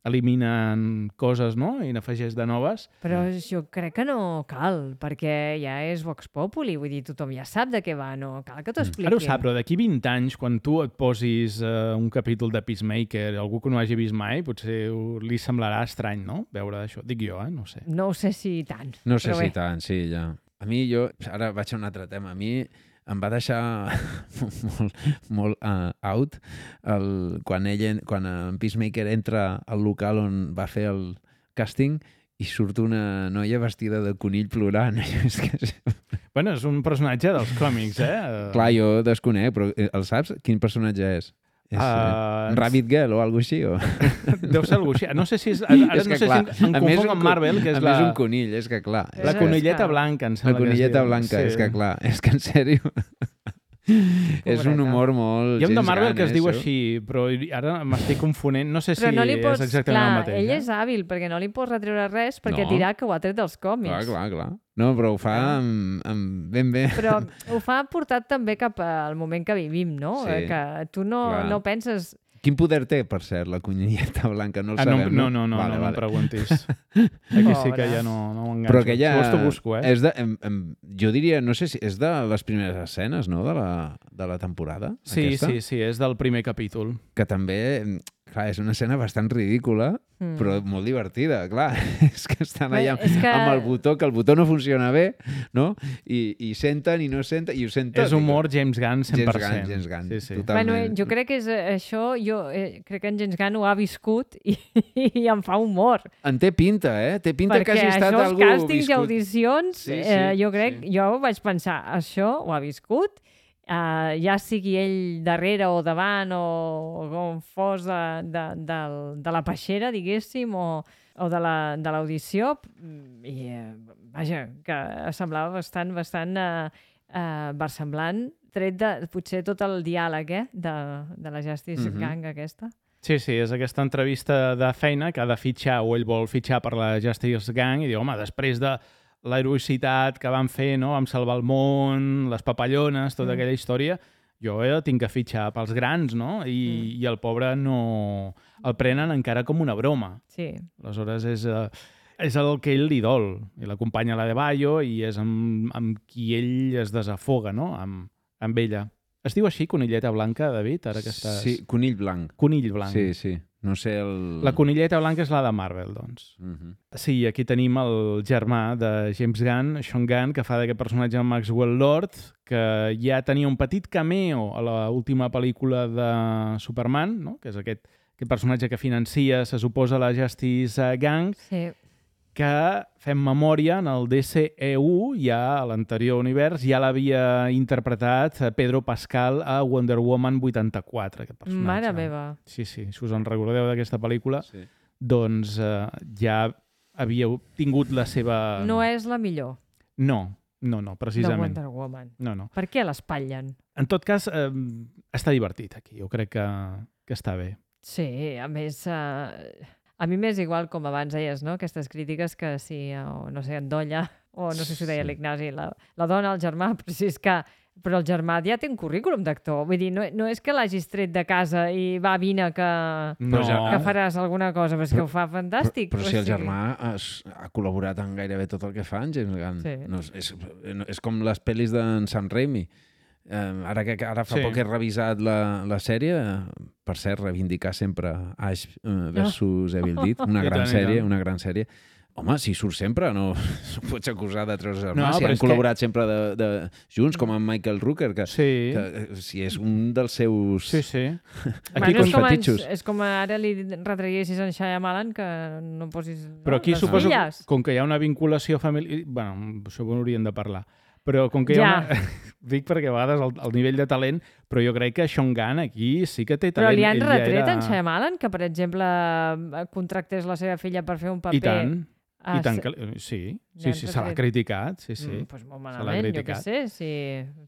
eliminen coses, no? I n'afegeix de noves. Però jo crec que no cal, perquè ja és Vox Populi, vull dir, tothom ja sap de què va, no cal que t'ho expliqui. Ara ho sap, però d'aquí 20 anys, quan tu et posis un capítol de Peacemaker, algú que no hagi vist mai, potser li semblarà estrany, no? Veure això. Dic jo, no sé. No ho sé si tant. No sé si tant, sí, ja. A mi, ara vaig a un altre tema, a mi em va deixar molt out quan en Peacemaker entra al local on va fer el càsting i surt una noia vestida de conill plorant. Bueno, és un personatge dels còmics, Clar, jo desconec, però el saps? Quin personatge és? És Rabbit Girl o alguna així? O... Deu ser alguna així. No sé si és... Ara és no que, sé clar, si em confonc amb Marvel, que és a més un conill, és que clar. La conilleta blanca, em sembla La conilleta que es diu. blanca, és que clar, és que en sèrio... És un humor molt... Hi ha un de James Marvel Gunn, que es diu això. així, però ara m'estic confonent. No sé si Però no li pots... és exactament clar, el mateix. ell és hàbil, perquè no li pots retreure res, perquè No. dirà que ho ha tret dels còmics. Clar. No, però ho fa ben bé. Però ho fa portat també cap al moment que vivim, no? Sí, Que tu no penses... Quin poder té, per cert, la conilleta blanca? No el sabem, no em preguntis. Aquí sí que ja no m'enganxo. Però que ja... Si vols t'ho busco, És de, jo diria, no sé si és de les primeres escenes, no?, de la temporada. Sí, aquesta, sí, és del primer capítol. Que també, clar, és una escena bastant ridícula, però molt divertida, clar. És que estan allà amb el botó, que el botó no funciona bé, no? I senten i no senten, i ho senten. És humor James Gunn 100%. James Gunn, sí. Bueno, jo crec que és això, crec que en James Gunn ho ha viscut i em fa humor. En té pinta, eh? Té pinta que hagi estat algú viscut. Perquè això, els càstings i audicions, sí. jo vaig pensar, això ho ha viscut, ja sigui ell darrere o davant o com fos de la peixera, diguéssim, o de l'audició, i vaja, que semblava bastant versemblant, tret de potser tot el diàleg de la Justice Gang aquesta. Sí, és aquesta entrevista de feina que ha de fitxar, o ell vol fitxar per la Justice Gang, i diu, home, després de l'heroïcitat que van fer, no?, vam salvar el món, les papallones, tota aquella història, jo tinc que fitxar pels grans, no? I el pobre no... El prenen encara com una broma. Sí. Aleshores és el que ell li dol. I l'acompanya a la de Bayo i és amb qui ell es desafoga, no?, amb ella. Es diu així, conilleta blanca, David? Ara que estàs... Sí, conill blanc. Conill blanc. Sí. No sé el... La conilleta blanca és la de Marvel, doncs. Sí, aquí tenim el germà de James Gunn, Sean Gunn, que fa d'aquest personatge Maxwell Lord, que ja tenia un petit cameo a l'última pel·lícula de Superman, no?, que és aquest personatge que financia, se suposa, la Justice Gang, que fem memòria, en el DCEU, ja a l'anterior univers, ja l'havia interpretat Pedro Pascal a Wonder Woman 84, aquest personatge. Mare meva. Sí, si us en recordeu d'aquesta pel·lícula, doncs ja havia tingut la seva... No és la millor. No, precisament. De Wonder Woman. No. Per què l'espatllen? En tot cas, està divertit aquí. Jo crec que està bé. Sí, a més... A mi m'és igual, com abans deies, no?, aquestes crítiques que si, no sé, en Dolla, o no sé si ho deia l'Ignasi, la dona, el germà, però si és que... Però el germà ja té un currículum d'actor. Vull dir, no és que l'hagis tret de casa i va, vine, que faràs alguna cosa, però és que ho fa fantàstic. Però si el germà ha col·laborat en gairebé tot el que fa en James Gunn. Sí. No, és com les pel·lis d'en Sam Raimi. Ara fa poc he revisat la sèrie, per cert, reivindicar sempre Ash versus Evil Dead, una gran sèrie. Home, si surt sempre, no pots acusar de treure germà. Si han col·laborat sempre junts, com amb Michael Rooker, que si és un dels seus... Sí. Aquí és com ara li retreguessis en Shyamalan que no posis... Però aquí suposo, com que hi ha una vinculació familiar... Bueno, això ho hauríem de parlar. Però com que hi ha una... Dic perquè a vegades el nivell de talent, però jo crec que Sean Gunn aquí sí que té talent. Però li han retret en Shyamalan que, per exemple, contractés la seva filla per fer un paper... I tant que... Sí, se l'ha criticat, sí. Doncs molt malament, jo què sé.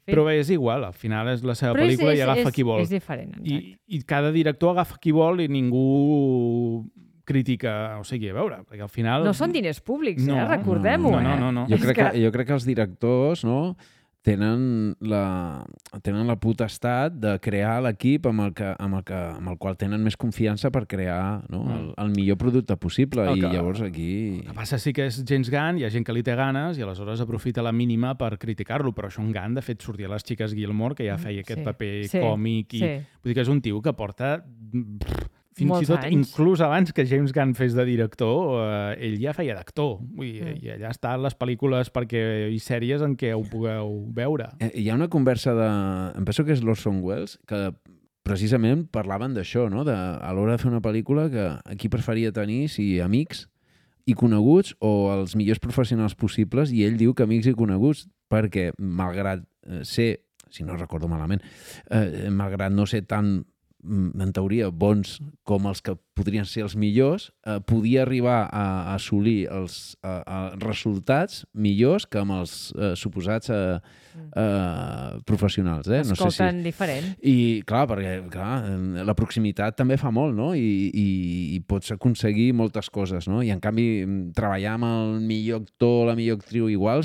Però bé, és igual, al final és la seva pel·lícula i agafa qui vol. És diferent. I cada director agafa qui vol i ningú crítica, o sigui, a veure, perquè al final... No són diners públics, recordem-ho. No. Jo crec que els directors, no, tenen la potestat de crear l'equip amb el qual tenen més confiança per crear, no, el millor producte possible. I llavors aquí... El que passa sí que és James Gunn, hi ha gent que li té ganes i aleshores aprofita la mínima per criticar-lo, però Sean Gunn, de fet, sortia a les Xiques Gilmore, que ja feia aquest paper còmic. Vull dir que és un tio que porta... Fins i tot, inclús abans que James Gunn fes de director, ell ja feia d'actor. I allà estan les pel·lícules i sèries en què ho pugueu veure. Hi ha una conversa em penso que és l'Orson Welles, que precisament parlaven d'això, no? A l'hora de fer una pel·lícula, que aquí preferia tenir amics i coneguts o els millors professionals possibles, i ell diu que amics i coneguts perquè malgrat ser, si no recordo malament, malgrat no ser tan, en teoria, bons com els que podrien ser els millors, podia arribar a assolir els resultats millors que amb els suposats professionals. Escolten diferent. I clar, perquè la proximitat també fa molt, no? I pots aconseguir moltes coses, no? I en canvi, treballar amb el millor actor, la millor actriu igual,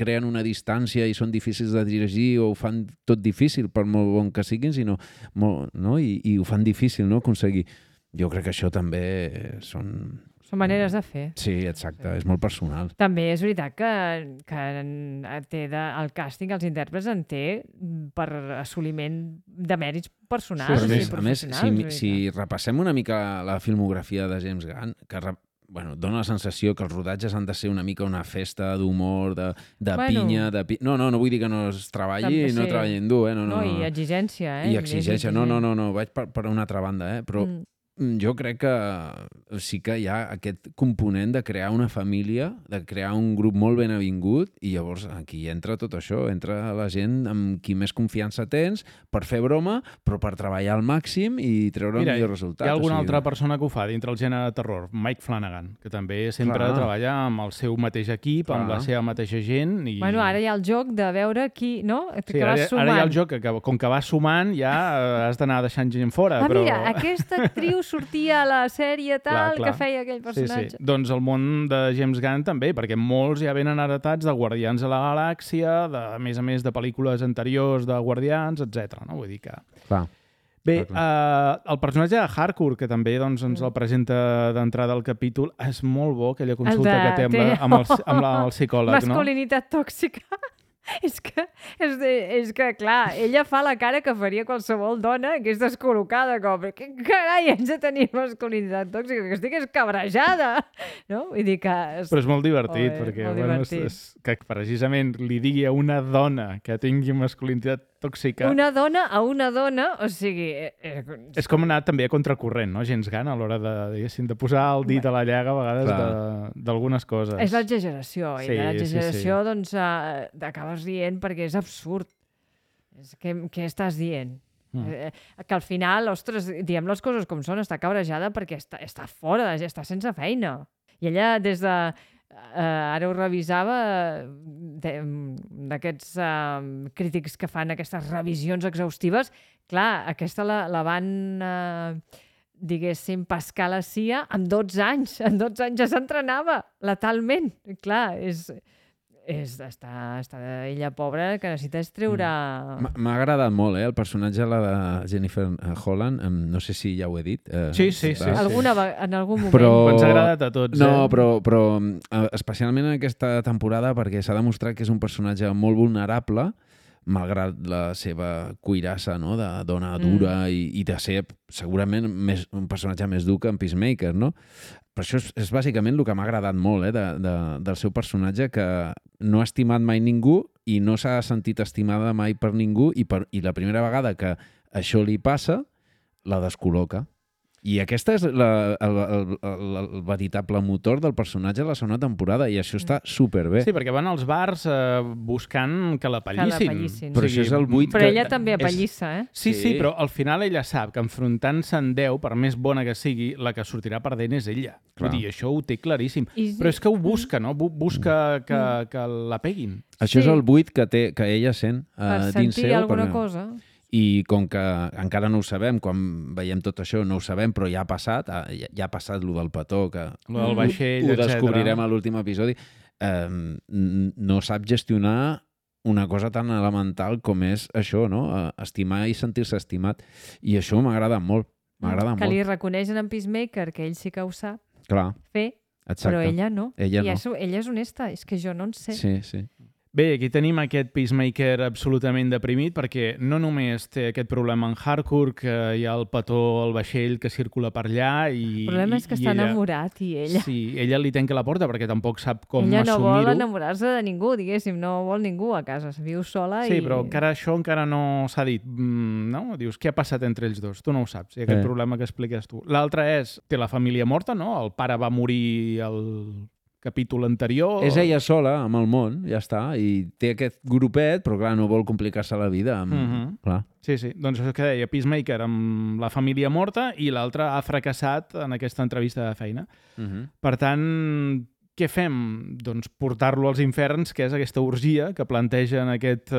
creen una distància i són difícils de dirigir o ho fan tot difícil, per molt bon que siguin, sinó no? I ho fan difícil, no? Aconseguir. Jo crec que això també són maneres de fer. Sí, exacte, és molt personal. També és veritat que el càsting, els intèrprets en té per assoliment de mèrits personals i professionals. A més, si repassem una mica la filmografia de James Gunn, que dona la sensació que els rodatges han de ser una mica una festa d'humor, de pinya... No vull dir que no es treballi, no treballi dur, No, i exigència, I exigència, no, vaig per una altra banda, però jo crec que sí que hi ha aquest component de crear una família, de crear un grup molt ben avingut, i llavors aquí entra tot això, entra la gent amb qui més confiança tens per fer broma, però per treballar al màxim i treure el millor resultat. Hi ha alguna altra persona que ho fa dintre el gènere de terror, Mike Flanagan, que també sempre treballa amb el seu mateix equip, amb la seva mateixa gent. Bueno, ara hi ha el joc de veure qui, no? Sí, ara hi ha el joc que com que vas sumant ja has d'anar deixant gent fora. Mira, aquesta actriu sortia a la sèrie tal que feia aquell personatge. Sí. Doncs el món de James Gunn també, perquè molts ja venen heretats de Guardians de la Galàxia, a més de pel·lícules anteriors de Guardians, etc. No? Vull dir que... Bé, el personatge de Harcourt, que també ens el presenta d'entrada al capítol, és molt bo, aquella consulta que té amb el psicòleg. Masculinitat tòxica. És que, clar, ella fa la cara que faria qualsevol dona que és descol·locada, com, què carai, haig de tenir masculinitat tòxica, que estic escabrejada, no? Vull dir que... Però és molt divertit, perquè és que precisament li digui a una dona que tingui masculinitat tòxica... Una dona a una dona, o sigui... És com anar també a contracorrent, no? James Gunn, a l'hora de posar el dit a la llaga a vegades d'algunes coses. És l'exageració, i l'exageració, doncs, acabes rient perquè és absurd. Què estàs dient? Que al final, ostres, diem les coses com són, està cabrejada perquè està fora, està sense feina. I ella, des de... ara ho revisava, d'aquests crítics que fan aquestes revisions exhaustives, clar, aquesta la van... diguéssim, pescar la CIA amb 12 anys. En 12 anys ja s'entrenava letalment. Clar, està ella pobra, que necessita treure... M'ha agradat molt, el personatge de Jennifer Holland. No sé si ja ho he dit. Sí. En algun moment. Però ens ha agradat a tots. No, però especialment en aquesta temporada, perquè s'ha demostrat que és un personatge molt vulnerable, malgrat la seva cuirassa, no?, de dona dura i de ser segurament un personatge més dur que en Peacemaker, no? Per això és bàsicament el que m'ha agradat molt del seu personatge, que no ha estimat mai ningú i no s'ha sentit estimada mai per ningú, i la primera vegada que això li passa, la descol·loca. I aquesta és el veritable motor del personatge de la segona temporada, i això està superbé. Sí, perquè van als bars buscant que la pallissin. Però això és el buit Però ella també apallissa, Sí, però al final ella sap que enfrontant-se en 10, per més bona que sigui, la que sortirà perdent és ella. Vull dir, això ho té claríssim. Però és que ho busca, no? Busca que la peguin. Això és el buit que ella sent dins seu. Per sentir alguna cosa. I com que encara no ho sabem, quan veiem tot això no ho sabem, però ja ha passat el del petó, que el vaixell, ho descobrirem a l'últim episodi, no sap gestionar una cosa tan elemental com és això, no? Estimar i sentir-se estimat. I això m'agrada molt. Que li reconeixen en Peacemaker que ell sí que ho sap fer, però ella no. Ella és honesta, és que jo no en sé. Sí. Bé, aquí tenim aquest Peacemaker absolutament deprimit, perquè no només té aquest problema en Harcourt, que hi ha el petó al vaixell que circula per allà i... El problema és que està enamorat i ella... Sí, ella li tanca la porta perquè tampoc sap com assumir-ho. Ella no vol enamorar-se de ningú, diguéssim, no vol ningú a casa, viu sola i... Sí, però això encara no s'ha dit, no? Dius, què ha passat entre ells dos? Tu no ho saps, i aquest problema que expliques tu. L'altre és, té la família morta, no? El pare va morir capítol anterior... És ella sola, amb el món, ja està, i té aquest grupet, però clar, no vol complicar-se la vida. Clar. Sí, doncs això que deia, Peacemaker amb la família morta i l'altre ha fracassat en aquesta entrevista de feina. Per tant, què fem? Doncs portar-lo als inferns, que és aquesta orgia que planteja en aquest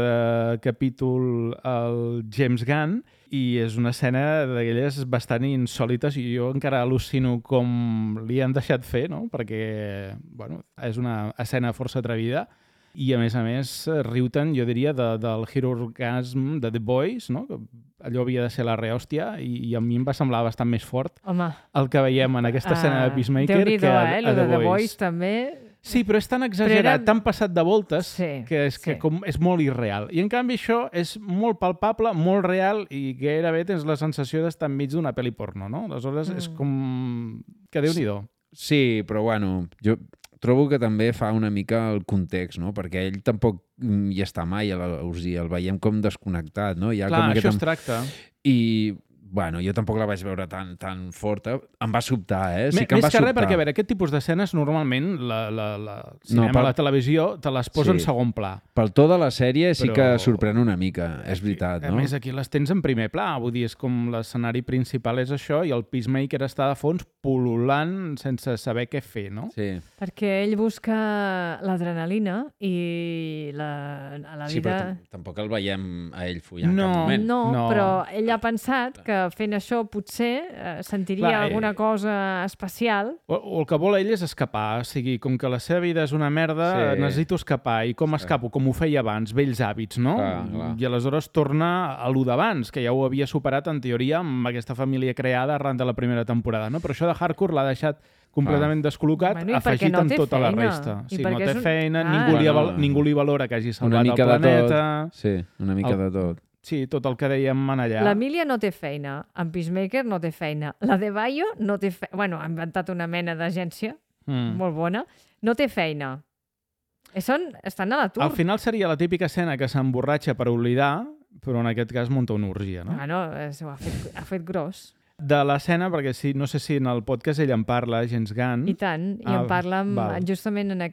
capítol el James Gunn, i és una escena d'aquelles bastant insòlites i jo encara al·lucino com li han deixat fer, no? Perquè bueno, és una escena força atrevida i a més, riu-te'n, jo diria, del Hero Orgasm de The Boys, no? Que allò havia de ser la rehòstia i a mi em va semblar bastant més fort el que veiem en aquesta escena de Peacemaker que a The Boys també... Sí, però és tan exagerat, tan passat de voltes, que és molt irreal. I en canvi això és molt palpable, molt real i gairebé tens la sensació d'estar enmig d'una pel·li porno, no? Aleshores és com... que Déu-n'hi-do. Sí, però bueno, jo trobo que també fa una mica el context, no? Perquè ell tampoc hi està mai a l'orgia, el veiem com desconnectat, no? Clar, això es tracta. I... Bueno, jo tampoc la vaig veure tan forta. Em va sobtar, Sí que em va sobtar. Més que res, perquè a veure, aquest tipus d'escenes normalment cinema, la televisió te les posa en segon pla. Pel to de la sèrie sí que sorprèn una mica, és veritat, no? A més, aquí les tens en primer pla, vull dir, és com l'escenari principal és això i el Peacemaker està de fons pul·lulant sense saber què fer, no? Sí. Perquè ell busca l'adrenalina i a la vida... Sí, però tampoc el veiem a ell follant en cap moment. No, però ell ha pensat que fent això potser sentiria alguna cosa especial. O el que vol ell és escapar, o sigui, com que la seva vida és una merda, necessito escapar. I com escapo? Com ho feia abans, vells hàbits, no? Clar. I aleshores torna a lo d'abans, que ja ho havia superat en teoria amb aquesta família creada arran de la primera temporada, no? Però això de Hardcore l'ha deixat completament descol·locat, afegit amb tota la resta. Sí, no té feina, ningú li valora que hagi salvat el planeta. Sí, una mica de tot. Sí, tot el que dèiem allà. L'Emília no té feina, en Peacemaker no té feina. La de Bayo no té feina. Bueno, ha inventat una mena d'agència molt bona. No té feina. Estan a l'atur. Al final seria la típica escena que s'emborratxa per oblidar, però en aquest cas munta una orgia, no? No, ho ha fet gros. De l'escena, perquè no sé si en el podcast ell en parla, James Gunn. I tant, i en parla justament en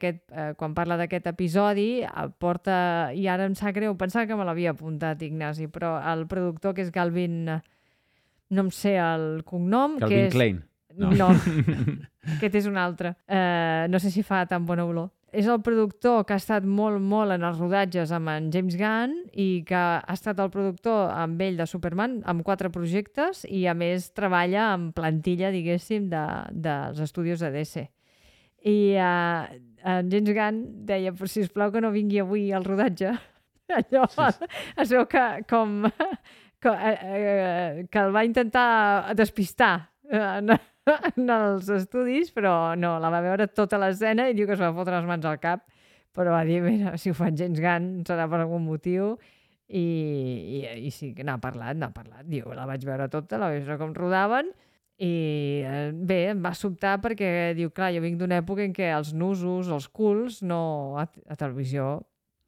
quan parla d'aquest episodi, porta, i ara em sap greu, pensava que me l'havia apuntat, Ignasi, però el productor, que és Galvin, no em sé el cognom, Calvin Klein. No, aquest és un altre. No sé si fa tan bona olor. És el productor que ha estat molt en els rodatges amb en James Gunn i que ha estat el productor amb ell de Superman amb 4 projectes i a més treballa amb plantilla, diguéssim, dels estudis de DC. I en James Gunn deia, però sisplau que no vingui avui al rodatge. Allò es veu que el va intentar despistar en els estudis, però no, la va veure tota l'escena i diu que es va fotre les mans al cap, però va dir, mira, si ho fa James Gunn serà per algun motiu i sí que n'ha parlat, diu, la vaig veure tota, la vaig veure com rodaven i bé, em va sobtar perquè diu, clar, jo vinc d'una època en què els nusos, els culs, no a televisió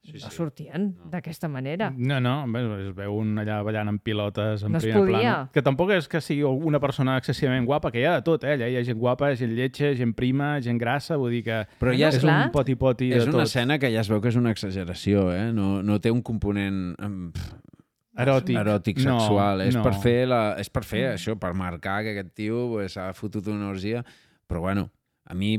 no sortien d'aquesta manera. No, es veu un allà ballant amb pilotes en no primer podia. plana. Que tampoc és que sigui una persona excessivament guapa, que hi ha de tot, Allà hi ha gent guapa, gent lletja, gent prima, gent grassa, vull dir que però ja és un poti-poti de tot. És una escena que ja es veu que és una exageració, no té un component eròtic sexual. És per fer això, per marcar que aquest tio s'ha fotut una orgia. Però bueno, a mi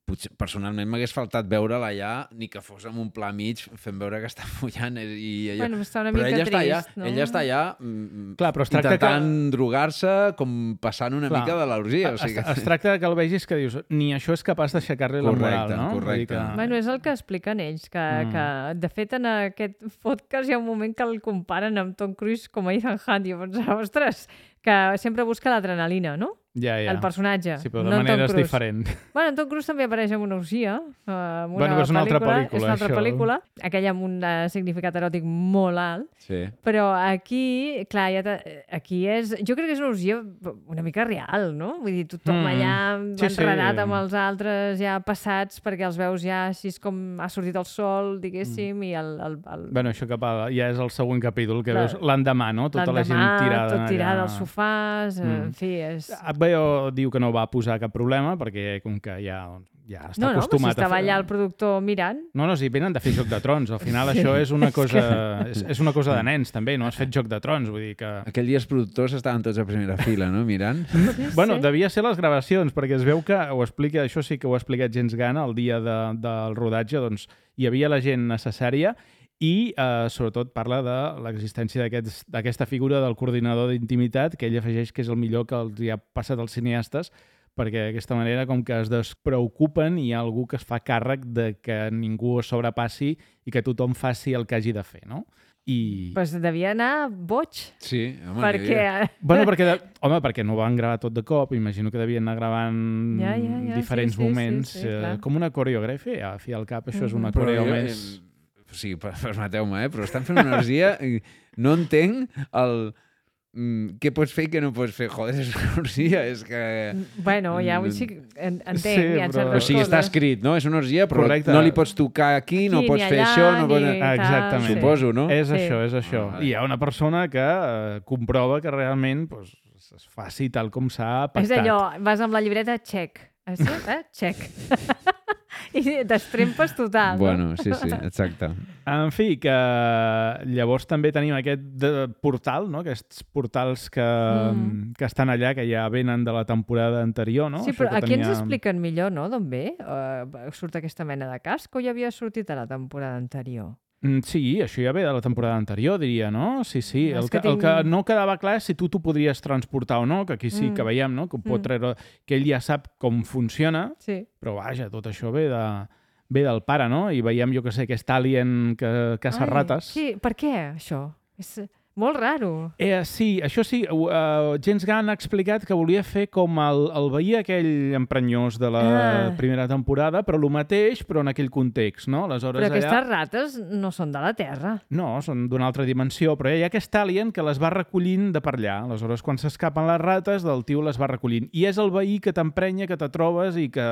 potser personalment m'hagués faltat veure'l allà, ni que fos amb un pla mig fent veure que està follant. Bueno, està una mica trist, no? Ella està allà intentant drogar-se, com passant una mica de l'orgia. Es tracta que el vegis que dius, ni això és capaç d'aixecar-li la moral, no? Correcte. Bueno, és el que expliquen ells, que de fet en aquest podcast hi ha un moment que el comparen amb Tom Cruise com a Ethan Hunt, i jo pensava, ostres, que sempre busca l'adrenalina, no? Ja. El personatge. Sí, però de maneres diferents. Bueno, en Tom Cruise també apareix en una orgia. És una altra pel·lícula. És una altra pel·lícula. Aquella amb un significat eròtic molt alt. Sí. Però aquí, clar, aquí és... Jo crec que és una orgia una mica real, no? Vull dir, tothom allà enredat amb els altres ja passats perquè els veus ja així com ha sortit el sol, diguéssim, i Bueno, això ja és el següent capítol, que veus l'endemà, no? Tota la gent tirada. Tot tirada als sofàs, en fi, és... HBO diu que no va posar cap problema perquè com que ja ja està acostumat però si estava allà el productor mirant. No, sí, venen de fer Joc de Trons. Al final això és una cosa de nens, també. No has fet Joc de Trons, vull dir que... Aquell dia els productors estaven tots a primera fila, no?, mirant. Bueno, devia ser les gravacions, perquè es veu que això sí que ho ha explicat James Gunn el dia del rodatge, doncs hi havia la gent necessària i sobretot parla de l'existència d'aquesta figura del coordinador d'intimitat, que ell afegeix que és el millor que els hi ha passat als cineastes, perquè d'aquesta manera com que es despreocupen i hi ha algú que es fa càrrec de que ningú es sobrepassi i que tothom faci el que hagi de fer, no? Pues devia anar boig. Sí, home, perquè no van gravar tot de cop, imagino que devien anar gravant diferents moments, com una coreografia, a fi al cap, això és una coreo més... Sí, permeteu-me, però estan fent una orgia i no entenc el... què pots fer i què no pots fer? Joder, és una orgia, és que... Bueno, ja ho entenc, hi ha certes coses. O sigui, està escrit, no? És una orgia, però no li pots tocar aquí, no pots fer això... Exactament. Suposo, no? És això. I hi ha una persona que comprova que realment es faci tal com s'ha pactat. És allò, vas amb la llibreta, check. Check. I t'estrempes total. Bueno, sí, exacte. En fi, que llavors també tenim aquest portal, no? Aquests portals que estan allà, que ja venen de la temporada anterior, no? Sí, però aquí ens expliquen millor, no?, d'on ve? Surt aquesta mena de casc o ja havia sortit a la temporada anterior? Sí, això ja ve de la temporada anterior, diria, no? Sí. El que no quedava clar és si tu t'ho podries transportar o no, que aquí sí que veiem, no?, que ho pot treure, que ell ja sap com funciona, però vaja, tot això ve del pare, no? I veiem, jo que sé, aquest alien que caça rates. Sí, per què això? És molt raro. Sí, això sí, James Gunn ha explicat que volia fer com el veí aquell emprenyós de la primera temporada, però el mateix, però en aquell context, no? Aleshores, però aquestes rates no són de la Terra. No, són d'una altra dimensió, però hi ha aquest alien que les va recollint de per allà. Aleshores, quan s'escapen les rates, el tio les va recollint. I és el veí que t'emprenya, que te trobes i que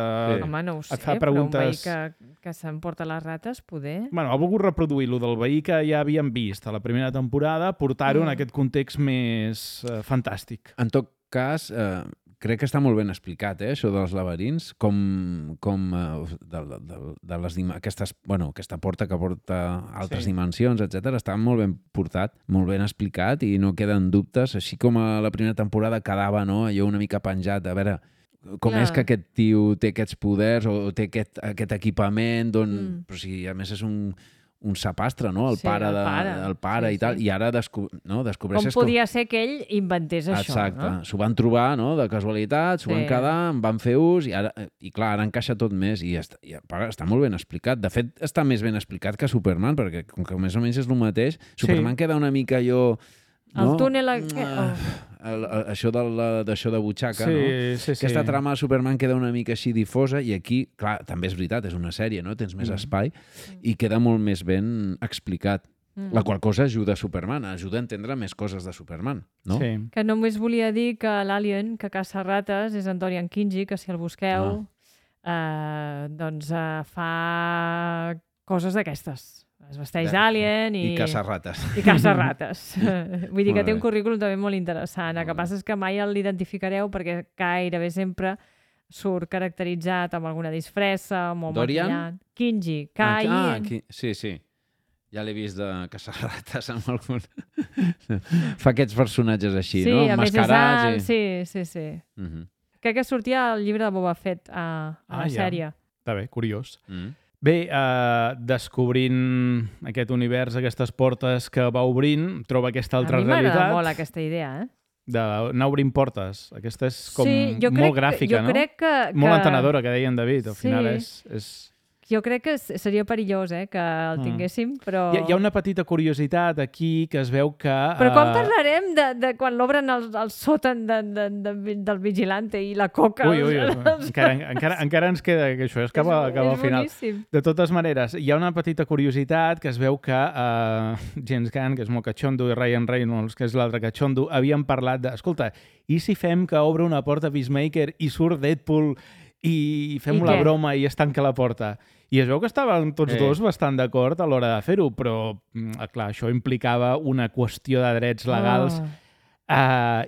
Home, no ho sé, et fa preguntes... però un veí que s'emporta les rates, poder... Bueno, ha volgut reproduir-lo del veí que ja havíem vist a la primera temporada, portar-ho en aquest context més fantàstic. En tot cas, crec que està molt ben explicat, això dels laberints, aquesta porta que porta altres dimensions, etc. Està molt ben portat, molt ben explicat i no queden dubtes, així com a la primera temporada quedava, no?, allò una mica penjat, a veure... Com és que aquest tio té aquests poders o té aquest equipament, però si a més és un sapastre, no?, el pare i tal, i ara descobreixes... Com podia ser que ell inventés això, no? Exacte, s'ho van trobar, no?, de casualitat, s'ho van quedar, en van fer ús, i clar, ara encaixa tot més, i està molt ben explicat. De fet, està més ben explicat que Superman, perquè com que més o menys és el mateix, Superman queda una mica allò... El túnel... Això de butxaca, no? Sí. Aquesta trama de Superman queda una mica així difosa i aquí, clar, també és veritat, és una sèrie, no? Tens més espai i queda molt més ben explicat. La qual cosa ajuda a Superman, ajuda a entendre més coses de Superman, no? Sí. Que només volia dir que l'alien que caça rates és en Dorian Kingi, que si el busqueu, doncs fa coses d'aquestes. Es vesteix d'alien i caça rates. Vull dir que té un currículum també molt interessant. El que passa és que mai l'identificareu perquè gairebé sempre surt caracteritzat amb alguna disfressa, molt maquillat. Kingi, K-I-N. Sí. Ja l'he vist de caçar rates amb algun... Fa aquests personatges així, no? Sí, a més és alt. Sí. Crec que sortia al llibre de Boba Fett a la sèrie. Està bé, curiós. Bé, descobrint aquest univers, aquestes portes que va obrint, troba aquesta altra realitat. A mi m'agrada molt aquesta idea, d'anar obrint portes. Aquesta és com molt gràfica, no? Molt entenedora, que deia en David. Al final és... Jo crec que seria perillós, que el tinguéssim, però... Hi ha una petita curiositat aquí que es veu que... Però quan parlarem de quan l'obren el sòtan del vigilante i la coca... Ui. Encara ens queda que això és cap al final. De totes maneres, hi ha una petita curiositat que es veu que James Gunn, que és molt catxondo, i Ryan Reynolds, que és l'altre catxondo, havien parlat de... Escolta, i si fem que obre una porta Peacemaker i surt Deadpool i fem la broma i es tanca la porta? I es veu que estaven tots dos bastant d'acord a l'hora de fer-ho, però, clar, això implicava una qüestió de drets legals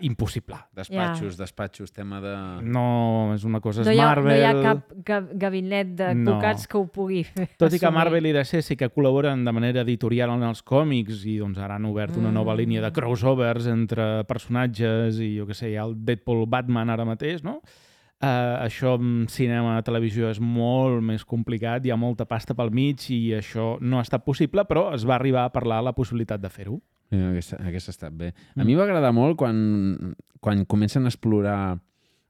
impossible. Despatxos, tema de... No, és una cosa... No és Marvel... No hi ha cap gabinet d'advocats que ho pugui fer. Tot i que Marvel i DC sí que col·laboren de manera editorial en els còmics i doncs ara han obert una nova línia de crossovers entre personatges i jo què sé, hi ha el Deadpool-Batman ara mateix, no? Això en cinema i televisió és molt més complicat, hi ha molta pasta pel mig i això no ha estat possible, però es va arribar a parlar la possibilitat de fer-ho. Aquesta ha estat bé. A mi va agradar molt quan comencen a explorar...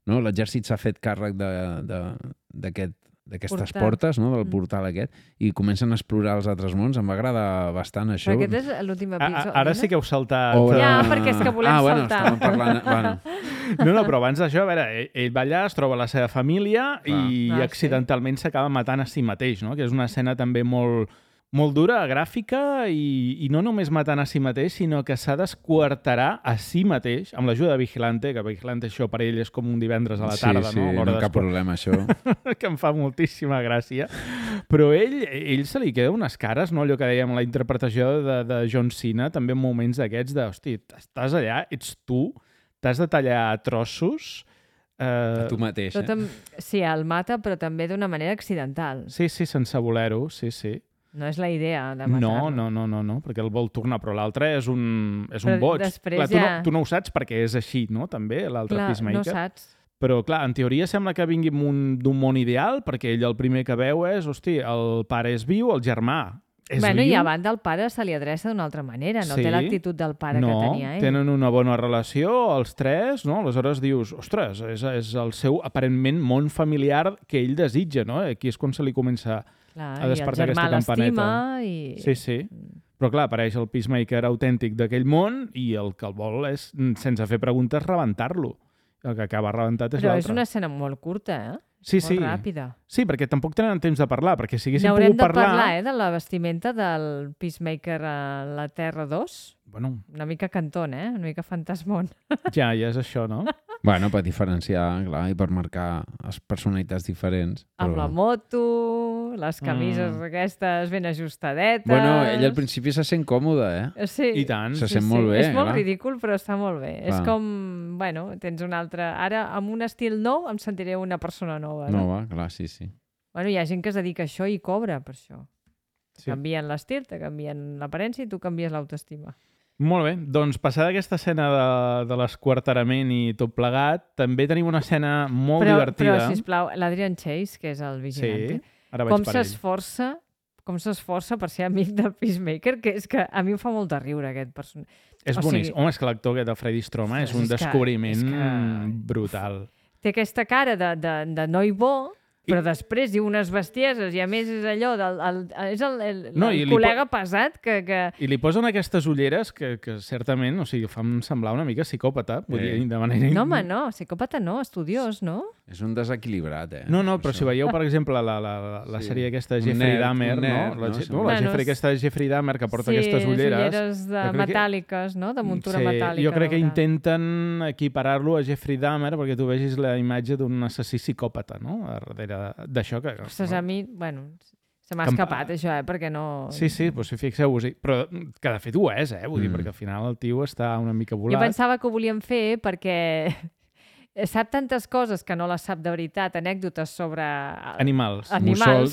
No? L'exèrcit s'ha fet càrrec d'aquestes portes, no? Del portal aquest, i comencen a explorar els altres mons. Em va agradar bastant això. Però aquest és l'últim episodi. Ara sí que heu saltat... Ja, perquè és que volem saltar. Estàvem parlant... Bueno. No, però abans d'això, a veure, ell va allà, es troba la seva família i accidentalment s'acaba matant a si mateix, no? Que és una escena també molt dura, gràfica, i no només matant a si mateix, sinó que s'ha d'esquarterar a si mateix, amb l'ajuda de Vigilante, que Vigilante això per ell és com un divendres a la tarda, no? Sí, no cap problema, això. Que em fa moltíssima gràcia. Però ell se li queda unes cares, no? Allò que dèiem, la interpretació de John Cena, també en moments d'aquests de, hosti, estàs allà, ets tu, t'has de tallar a trossos... A tu mateix, Sí, el mata, però també d'una manera accidental. Sí, sense voler-ho, sí. No és la idea de matar-lo. No, perquè el vol tornar, però l'altre és un boig. Clar, tu no ho saps perquè és així, no? També, l'altre Peacemaker. No saps. Però, clar, en teoria sembla que vingui d'un món ideal, perquè ell el primer que veu és, hosti, el pare és viu, el germà és viu. I a banda el pare se li adreça d'una altra manera, no té l'actitud del pare que tenia ell. Tenen una bona relació, els tres, no? Aleshores dius, ostres, és el seu, aparentment, món familiar que ell desitja, no? Aquí és quan se li comença a despertar aquesta campaneta. Sí. Però clar, apareix el Peacemaker autèntic d'aquell món i el que el vol és, sense fer preguntes, rebentar-lo. El que acaba rebentat és l'altre. Però és una escena molt curta, Sí. Molt ràpida. Sí, perquè tampoc tenen temps de parlar, perquè si haguéssim pogut parlar... N'haurem de parlar, de la vestimenta del Peacemaker a la Terra 2. Bueno. Una mica Cantón, una mica fantasmón. Ja és això, no? Bueno, per diferenciar, clar, i per marcar les personalitats diferents. Amb la moto, les camises aquestes ben ajustadetes... Bueno, ell al principi se sent còmode, Sí. I tant. Se sent molt bé, És molt ridícul, però està molt bé. Clar. És com, tens un altre... Ara, amb un estil nou, em sentiré una persona nova. Nova, clar, sí. Bueno, hi ha gent que es dedica a això i cobra per això. Sí. Canvien l'estil, te canvien l'aparència i tu canvies l'autoestima. Molt bé, doncs passada aquesta escena de l'esquarterament i tot plegat, també tenim una escena molt divertida. Però, sisplau, l'Adrian Chase, que és el vigilante, ara vaig per ell. Com s'esforça per ser amic del Peacemaker, que és que a mi em fa molt de riure aquest personatge. És boníssim. Home, és que l'actor aquest de Freddy Stroma és un descobriment brutal. Té aquesta cara de noi bo, però després diu unes bestieses i a més és allò és el col·lega pesat que... I li posen aquestes ulleres que certament, o sigui, fan semblar una mica psicòpata, vull dir, de manera... No, home, no, psicòpata no, estudiós, no? És un desequilibrat, No, però si veieu, per exemple, la sèrie aquesta de Jeffrey Dahmer, no? La sèrie aquesta de Jeffrey Dahmer que porta aquestes ulleres... Sí, ulleres metàl·liques, no? De muntura metàl·lica. Jo crec que intenten equiparar-lo a Jeffrey Dahmer perquè tu vegis la imatge d'un assassí psicòpata, no? Darrere d'això que... Ostres, a mi, se m'ha escapat això, perquè no... Sí, doncs si fixeu-vos, però que de fet ho és, vull dir, perquè al final el tio està una mica volat. Jo pensava que ho volíem fer perquè sap tantes coses que no les sap de veritat, anècdotes sobre... Animals.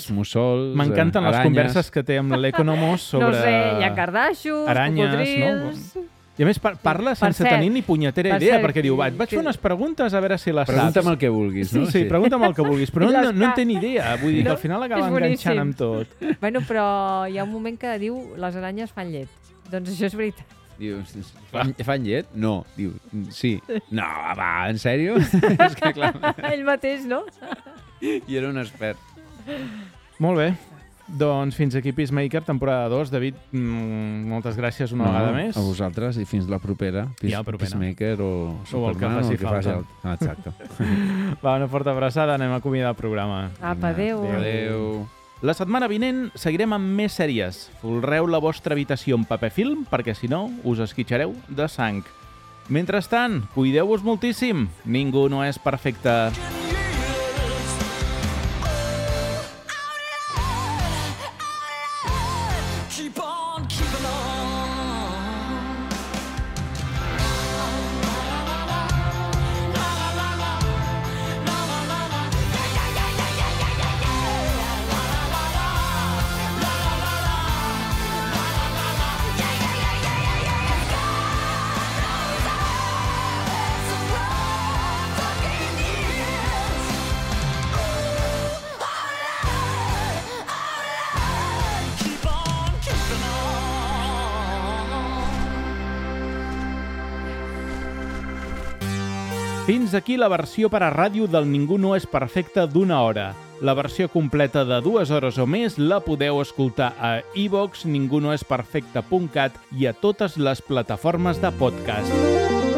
Mussols, m'encanten les converses que té amb l'Economos sobre... No sé, hi ha cardassos, cocodrils... No? I a més parla sense tenir ni punyetera idea, perquè diu, vaig fer unes preguntes a veure si les saps. Pregunta'm el que vulguis, no? Sí, pregunta'm el que vulguis, però no en té ni idea. Vull dir que al final acaba enganxant amb tot. Bueno, però hi ha un moment que diu les aranyes fan llet. Doncs això és veritat. Dius, fan llet? No. Diu, sí. No, va, en sèrio? És que clar... Ell mateix, no? I era un expert. Molt bé. Doncs fins aquí Peacemaker, temporada 2. David, moltes gràcies una vegada més. A vosaltres i fins la propera. Peacemaker o Superman o el que faci. Exacte. Va, una forta abraçada, anem a acomiadar el programa. Apa, adéu. Adéu. La setmana vinent seguirem amb més sèries. Folreu la vostra habitació en paper film perquè si no us esquitxareu de sang. Mentrestant, cuideu-vos moltíssim. Ningú no és perfecte. Keep on keeping on. Fins aquí la versió per a ràdio del Ningú no és perfecte d'1 hora. La versió completa de 2 hores o més la podeu escoltar a iVoox, ningunoesperfecte.cat i a totes les plataformes de podcast.